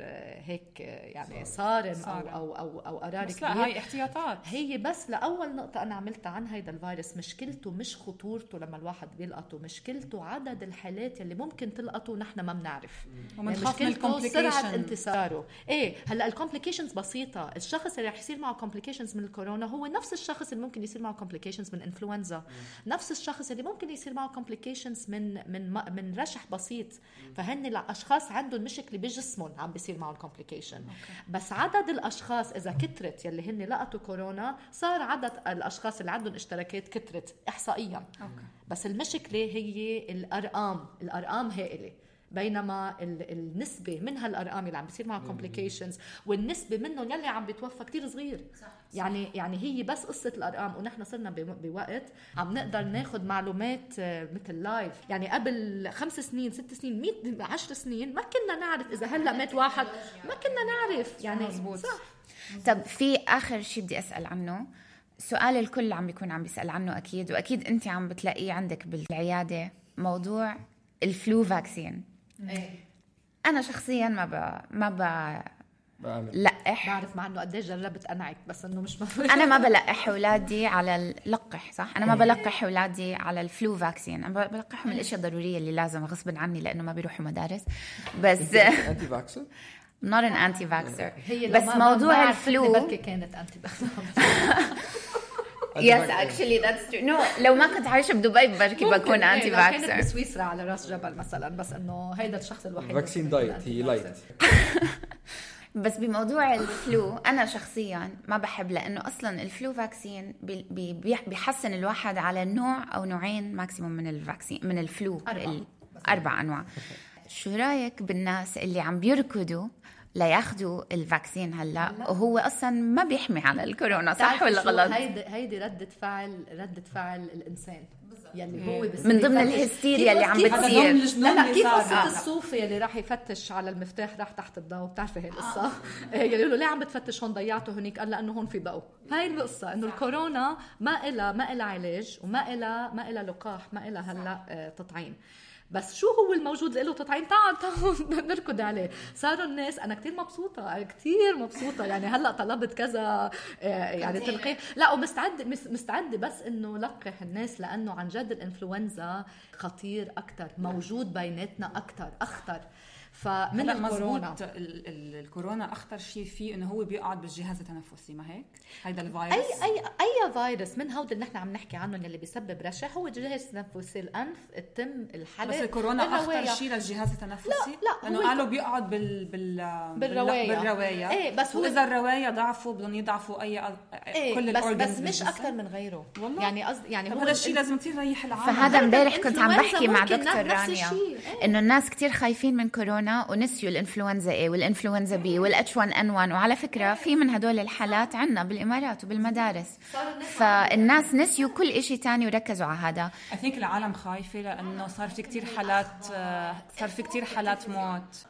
هيك يعني صارم او او او او قرار كبير. لا هاي احتياطات هي بس لاول نقطه انا عملتها عن هيدا الفيروس مشكلته مش خطورته لما الواحد بيلقطه مشكلته عدد الحالات اللي ممكن تلقطه نحن ما بنعرف ومنخاف من الكومبليكيشن سرعه انتشاره. ايه هلا الكومبليكيشنز بسيطه. الشخص اللي رح يصير معه كومبليكيشنز من الكورونا هو نفس الشخص اللي ممكن يصير معه complications من انفلونزا نفس الشخص اللي ممكن يصير معه complications من من من رشح بسيط. فهن الاشخاص عندهم مشكله بجسمهم عم بيصير معهم complication. بس عدد الاشخاص اذا كترت يلي هن لقطوا كورونا صار عدد الاشخاص اللي عندهم اشتراكات كترت احصائيا. بس المشكله هي الارقام الارقام هائله بينما النسبة من هالأرقام اللي عم بيصير معها complications والنسبة منهم يلي عم بيتوفى كتير صغير. صح. يعني يعني هي بس قصة الأرقام ونحن صرنا بوقت عم نقدر ناخد معلومات مثل لايف. يعني قبل خمس سنين ست سنين مئة عشر سنين ما كنا نعرف إذا هلأ مات واحد ما كنا نعرف يعني. مزبوط. صح. طب في آخر شيء بدي أسأل عنه سؤال الكل عم بيكون عم بيسأل عنه أكيد وأكيد أنت عم بتلاقيه عندك بالعيادة موضوع الفلو فاكسين. ايه انا شخصيا ما ب ما ب لقح بعرف مع انه قديش جربت انعك بس انه مش مفروض. انا ما بلقح اولادي على اللقح صح انا ما بلقح اولادي على الفلو فاكسين. انا بلقحهم الاشياء الضروريه اللي لازم غصب عني لانه ما بيروحوا مدارس. بس انتي فاكسر not an anti vaxxer بس موضوع الفلو بركي كانت انتي فاكسر. Yes, actually that's true. No, لو ما كنت عايشة بدبي بركي بكون أنتي فاكسر. كانت بسويسرا على راس جبل مثلا بس إنه هيدا الشخص الوحيد. فاكسين دايت هي لايت. بس بموضوع الفلو أنا شخصيا ما بحب لأنه أصلا الفلو فاكسين بي بي بيحسن الواحد على نوع أو نوعين ماكسيموم من الفاكسين من الفلو أربع, أربع أنواع. شو رأيك بالناس اللي عم بيركضوا لا ياخدوا الفاكسين هلا وهو اصلا ما بيحمي على الكورونا صح ولا غلط؟ هيدي هيدي ردة فعل ردة فعل الانسان يلي هو من ضمن الهستيريا اللي عم بتصير. لا لا كيف قصة الصوفي اللي راح يفتش على المفتاح راح تحت الضوء بتعرفي هي القصة يقولوا له ليه عم بتفتش هون ضيعته هنيك قال لأنه هون في ضوء. هاي القصة إنه الكورونا ما إلها ما إلها علاج وما إلها ما إلها لقاح ما إلها هلا تطعيم. بس شو هو الموجود له تطعيم تعال تعال نركض عليه. صاروا الناس أنا كتير مبسوطة كتير مبسوطة يعني هلأ طلبت كذا يعني تلقيح لا ومستعد مستعد بس إنه لقح الناس لأنه عن جد الإنفلونزا خطير أكتر موجود بيناتنا أكتر أخطر. فمن الكورونا الكورونا اخطر شيء فيه انه هو بيقعد بالجهاز التنفسي ما هيك هيدا الفيروس اي اي اي فيروس من هود اللي نحن عم نحكي عنهم اللي بيسبب رشح هو الجهاز التنفسي الانف التم الحلق. بس الكورونا اخطر شيء للجهاز التنفسي لا لانه قالوا بيقعد بال بال بالروايه بالروايه ايه بس هو اذا الروايه ضعفوا بدهم يضعفوا اي إيه كل بس بس مش اكثر من غيره والله. يعني قصد يعني هو هذا الشيء لازم تريح العالم. فهذا امبارح كنت عم بحكي مع دكتور رانيا انه الناس كتير خايفين من كورونا ونسيوا الانفلونزا A والانفلونزا B والاتش واحد إن واحد وعلى فكرة في من هدول الحالات عنا بالإمارات وبالمدارس. فالناس نسيوا كل إشي تاني وركزوا على هذا. I think العالم خايفة لأنه صار في كتير حالات صار في كتير حالات موت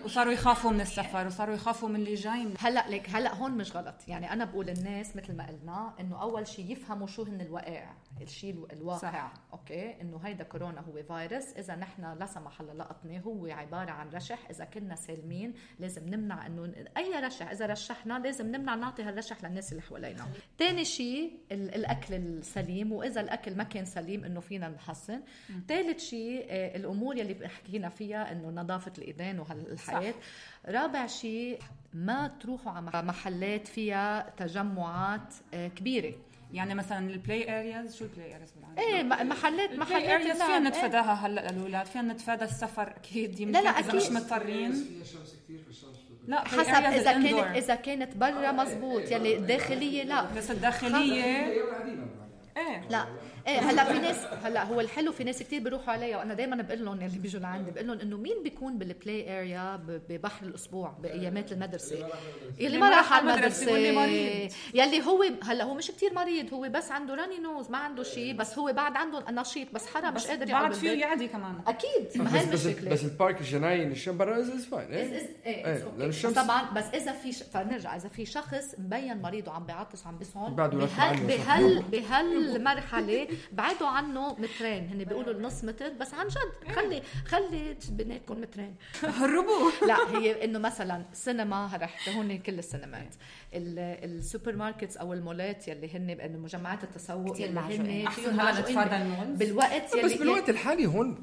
وصاروا يخافوا من السفر وصاروا يخافوا من اللي جاي. هلا لك هلا هون مش غلط يعني أنا بقول الناس مثل ما قلنا إنه أول شيء يفهموا شو هن الوقائع الشيء الواقع صح. اوكي انه هيدا كورونا هو فيروس، اذا نحن لا سمح الله لقطناه هو عباره عن رشح، اذا كنا سالمين لازم نمنع انه اي رشح، اذا رشحنا لازم نمنع نعطي هالرشح للناس اللي حوالينا. ثاني شيء الاكل السليم، واذا الاكل ما كان سليم انه فينا نحسن. ثالث شيء الامور يلي حكينا فيها انه نظافه الايدين وهالحياه. رابع شيء ما تروحوا على محلات فيها تجمعات كبيره، يعني مثلا البلاي ارياز. شو البلاي ارياز بالعربي؟ ايه محلات محلات ارياز فينا نتفاداها هلا الاولاد، فينا نتفادى السفر اكيد يمكن. لا لا اذا مش مضطرين. لا حسب اذا كانت اذا كانت برا مزبوط، يلي الداخليه لا بس الداخليه ايه لا ايه. هلا في ناس هلا هو الحلو في ناس كتير بيروحوا عليها، وانا دائما بقول لهم اللي بيجوا لعندي بقول لهم انه مين بيكون بالبلاي اريا ببحر الاسبوع بايامات المدرسه، يلي ما راح على المدرسه، يلي هو هلا هو مش كتير مريض، هو بس عنده راني نوز، ما عنده شيء، بس هو بعد عنده نشيط، بس حرام مش قادر يقعد فيه يعدي كمان اكيد. ما هي المشكله. بس البارك الجناين الشمس برا از فاين ايه طبعا. بس اذا في فنرجع اذا في شخص مبين مريض وعم بيعطس وعم بيصعد بهال بهالمرحله بعدوا عنه مترين، هن بيقولوا النص متر، بس عن جد خلي خلي بيناتكم مترين هربوا. لا هي انه مثلا سينما رحت هون كل السينمات، السوبر ماركتس او المولات يلي هن بانه مجمعات التسوق اللي هن فيهم معجوقين بالوقت يلي بس بالوقت الحالي هون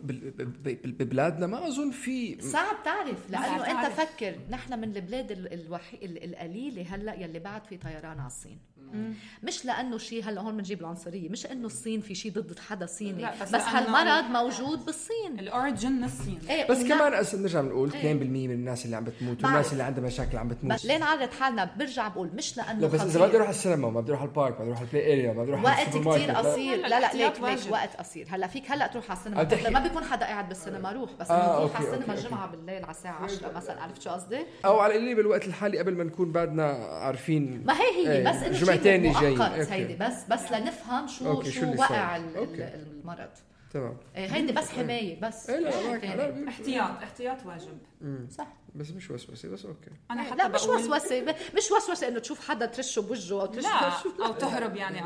ببلادنا ما اظن في صعب تعرف، لانه انت فكر نحن من البلاد الوحي... القليله هلا يلي بعد في طيران على الصين. مم. مش لانه شيء هلا هون بنجيب العنصريه، مش انه الصين في شيء ضد حدا صيني، بس, بس هالمرض موجود بالصين، الاوريجن من الصين. ايه بس كمان أس... نرجع بنقول اثنين بالمية من الناس اللي عم بتموت والناس اللي عندها مشاكل عم بتموت. بس ليه نعرض حالنا؟ برجع بقول مش لانه لا بس اذا بدي اروح على السينما، ما بدي اروح على البارك، ما بدي اروح على البلاي اريا، ما بدي اروح على السوبر ماركت، وقت كتير قصير. لا لا ليك ليك وقت قصير. هلا فيك هلا تروح على السينما، ما بيكون حدا قاعد بالسينما روح، بس انه آه تروح على السينما الجمعه بالليل على الساعه عشرة مثلا، عرفت شو قصدي؟ او على اللي بالوقت الحالي قبل ما نكون بعدنا عارفين. ما هي هي بس انه جمعتين جايين هيدي بس بس لنفهم شو أوكي. شو, شو وقع المرض. تمام. هيدي بس حمايه بس. إيه لا احتياط احتياط واجب. مم. صح. بس مش وسوسه بس اوكي. انا حتى لا مش وسوسه، مش وسوسه انه تشوف حدا ترشه بوجهه او ترشه او تهرب يعني.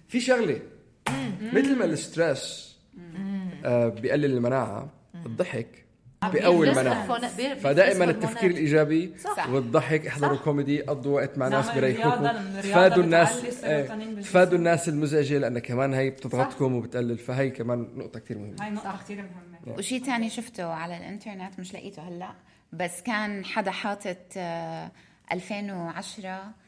في شغله مثل ما الستريس آه بيقلل المناعه، الضحك بأول المناعة، فدائما التفكير الإيجابي والضحك. احضروا كوميدي، قضوا وقت مع ناس بريحوكم، تفادوا الناس تفادوا الناس المزعجة، لأن كمان هي بتضغطكم وبتقلل، فهي كمان نقطة كتير مهمة. هاي نقطة كتير مهمة. وشي تاني شفته على الانترنت مش لقيته هلأ، بس كان حدا حاطط ألفين وعشرة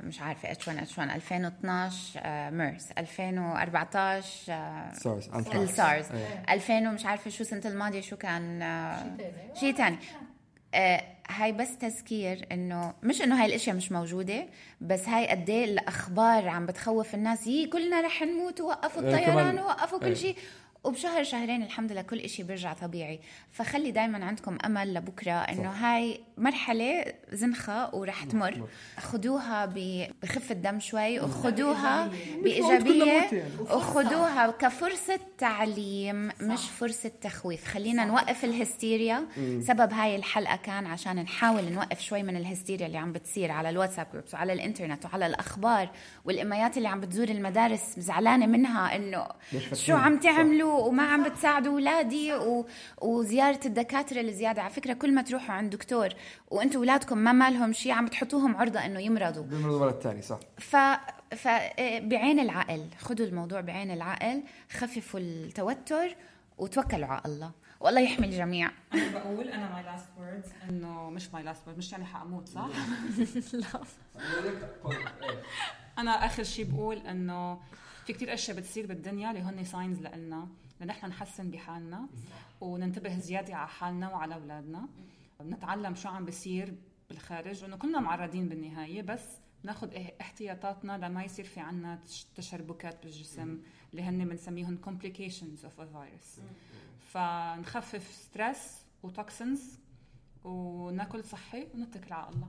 مش عارفة اتش وان اتش وان ألفين واثناعش ميرس ألفين وأربعتاش سارس السارس ألفين ومش عارفة شو سنة الماضية شو كان شيء تاني. آه هاي بس تذكير انه مش انه هاي الاشياء مش موجودة، بس هاي قديه الاخبار عم بتخوف الناس، يي كلنا رح نموت ووقفوا الطيران ووقفوا كل شيء، وبشهر شهرين الحمد لله كل إشي بيرجع طبيعي. فخلي دايما عندكم أمل لبكرة إنه هاي مرحلة زنخة ورح تمر، خدوها بخفة دم شوي وخدوها بإيجابية وخدوها كفرصة تعليم مش فرصة تخويف. خلينا نوقف الهستيريا. سبب هاي الحلقة كان عشان نحاول نوقف شوي من الهستيريا اللي عم بتصير على الواتساب جروبس وعلى الانترنت وعلى الأخبار والإميات اللي عم بتزور المدارس زعلانة منها إنه شو عم تعملوا وما عم بتساعدوا أولادي و... وزيارة الدكاترة الزيادة. على فكرة كل ما تروحوا عند دكتور وأنتوا أولادكم ما مالهم شيء عم بتحطوهم عرضة إنه يمرضوا بيمرضوا مرة تاني. صح. ف... فبعين العقل خدوا الموضوع بعين العقل، خففوا التوتر وتوكلوا على الله والله يحمي الجميع. أنا بقول أنا my last words إنه مش my last words مش يعني حأموت صح؟ لا أنا آخر شيء بقول إنه في كتير أشياء بتصير بالدنيا اللي هن ساينز لنا لنحن نحسن بحالنا وننتبه زيادة على حالنا وعلى أولادنا، ونتعلم شو عم بيصير بالخارج، وإنه كلنا معرضين بالنهاية، بس ناخد احتياطاتنا لما يصير في عنا تشربكات بالجسم اللي هن بنسميهم complications of a virus. فنخفف ستريس وتوكسينز وناكل صحي ونتكل على الله.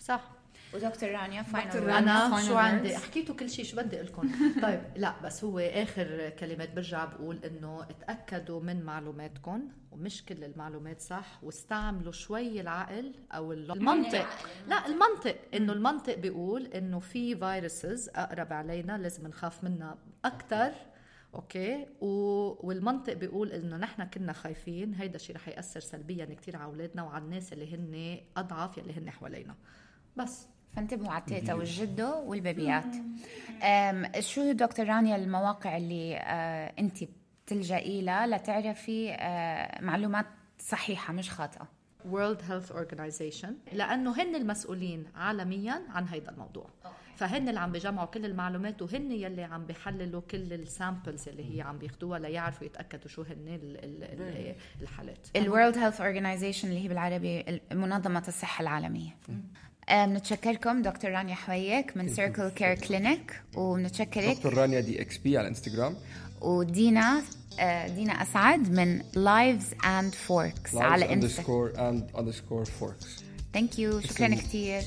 صح. ودكتور رانيا دكتور انا final شو words. عندي حكيتوا كل شيء، شو بدي اقول لكم؟ طيب لا بس هو اخر كلمات برجع بقول انه اتاكدوا من معلوماتكم ومش كل المعلومات صح، واستعملوا شوي العقل او المنطق. لا المنطق انه المنطق بيقول انه في فيروسز اقرب علينا لازم نخاف منها اكثر، اوكي، والمنطق بيقول انه نحن كنا خايفين، هيدا الشيء رح ياثر سلبيا كتير على اولادنا وعلى الناس اللي هن اضعف يلي هن حوالينا. بس فانتبهوا على التيتا والجدو والبيبيات. أم شو دكتور رانيا المواقع اللي أه انت بتلجئي لها لتعرفي أه معلومات صحيحة مش خاطئة؟ World Health Organization، لأنه هن المسؤولين عالميا عن هيدا الموضوع، فهن اللي عم بيجمعوا كل المعلومات وهن يلي عم بيحللوا كل السامبلز اللي هي عم بياخدوها ليعرفوا يتأكدوا شو هن الحالات. ال World Health Organization اللي هي بالعربي منظمة الصحة العالمية. بنتشكركم دكتور رانيا حويك من سيركل كير كلينيك، وبنتشكرك دكتور رانيا دي اكس بي على انستغرام، ودينا دينا أسعد من Lives and Forks على انستغرام and underscore forks. Thank you. شكرا كتير.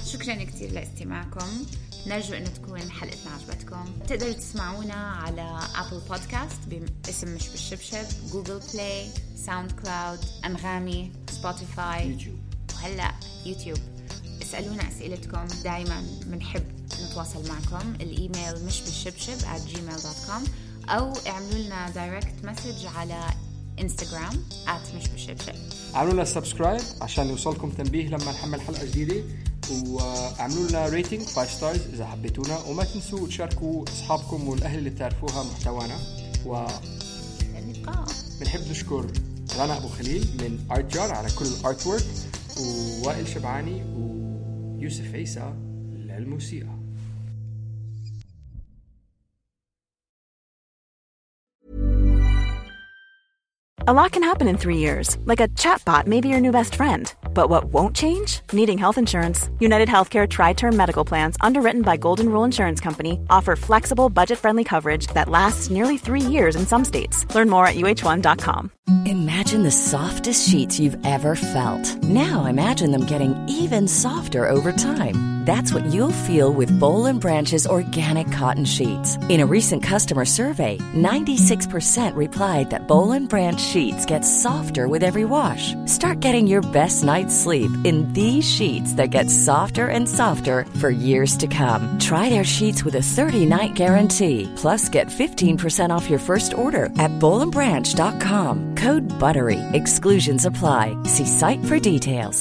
شكرا كتير لاستماعكم. نرجو أن تكون حلقتنا عجبتكم. تقدروا تسمعونا على أبل بودكاست باسم مش بالشبشب، جوجل بلاي، ساوند كلاود، أنغامي، سبوتيفاي، يوتيوب، وهلأ يوتيوب. اسألونا أسئلتكم، دايما بنحب نتواصل معكم. الإيميل مش بالشبشب at gmail dot com، أو اعملوا لنا دايركت مسج على انستغرام at مش بالشبشب. عملوا لنا سبسكرايب عشان يوصلكم تنبيه لما نحمل حلقة جديدة، وعملوا لنا ريتنج فايف ستارز إذا حبيتونا، وما تنسوا تشاركوا أصحابكم والأهل اللي تعرفوها محتوانا. و بنحب نشكر رنا أبو خليل من آرت جار على كل الارت وورك، ووائل شبعاني ويوسف عيسى للموسيقى. A lot can happen in three years, like a chatbot may be your new best friend. But what won't change? Needing health insurance. United Healthcare Tri-Term Medical Plans, underwritten by Golden Rule Insurance Company, offer flexible, budget-friendly coverage that lasts nearly three years in some states. Learn more at U H one dot com. Imagine the softest sheets you've ever felt. Now imagine them getting even softer over time. That's what you'll feel with Boll and Branch's organic cotton sheets. In a recent customer survey, ninety-six percent replied that Boll and Branch sheets get softer with every wash. Start getting your best night's sleep in these sheets that get softer and softer for years to come. Try their sheets with a thirty-night guarantee. Plus, get fifteen percent off your first order at boll and branch dot com. Code BUTTERY. Exclusions apply. See site for details.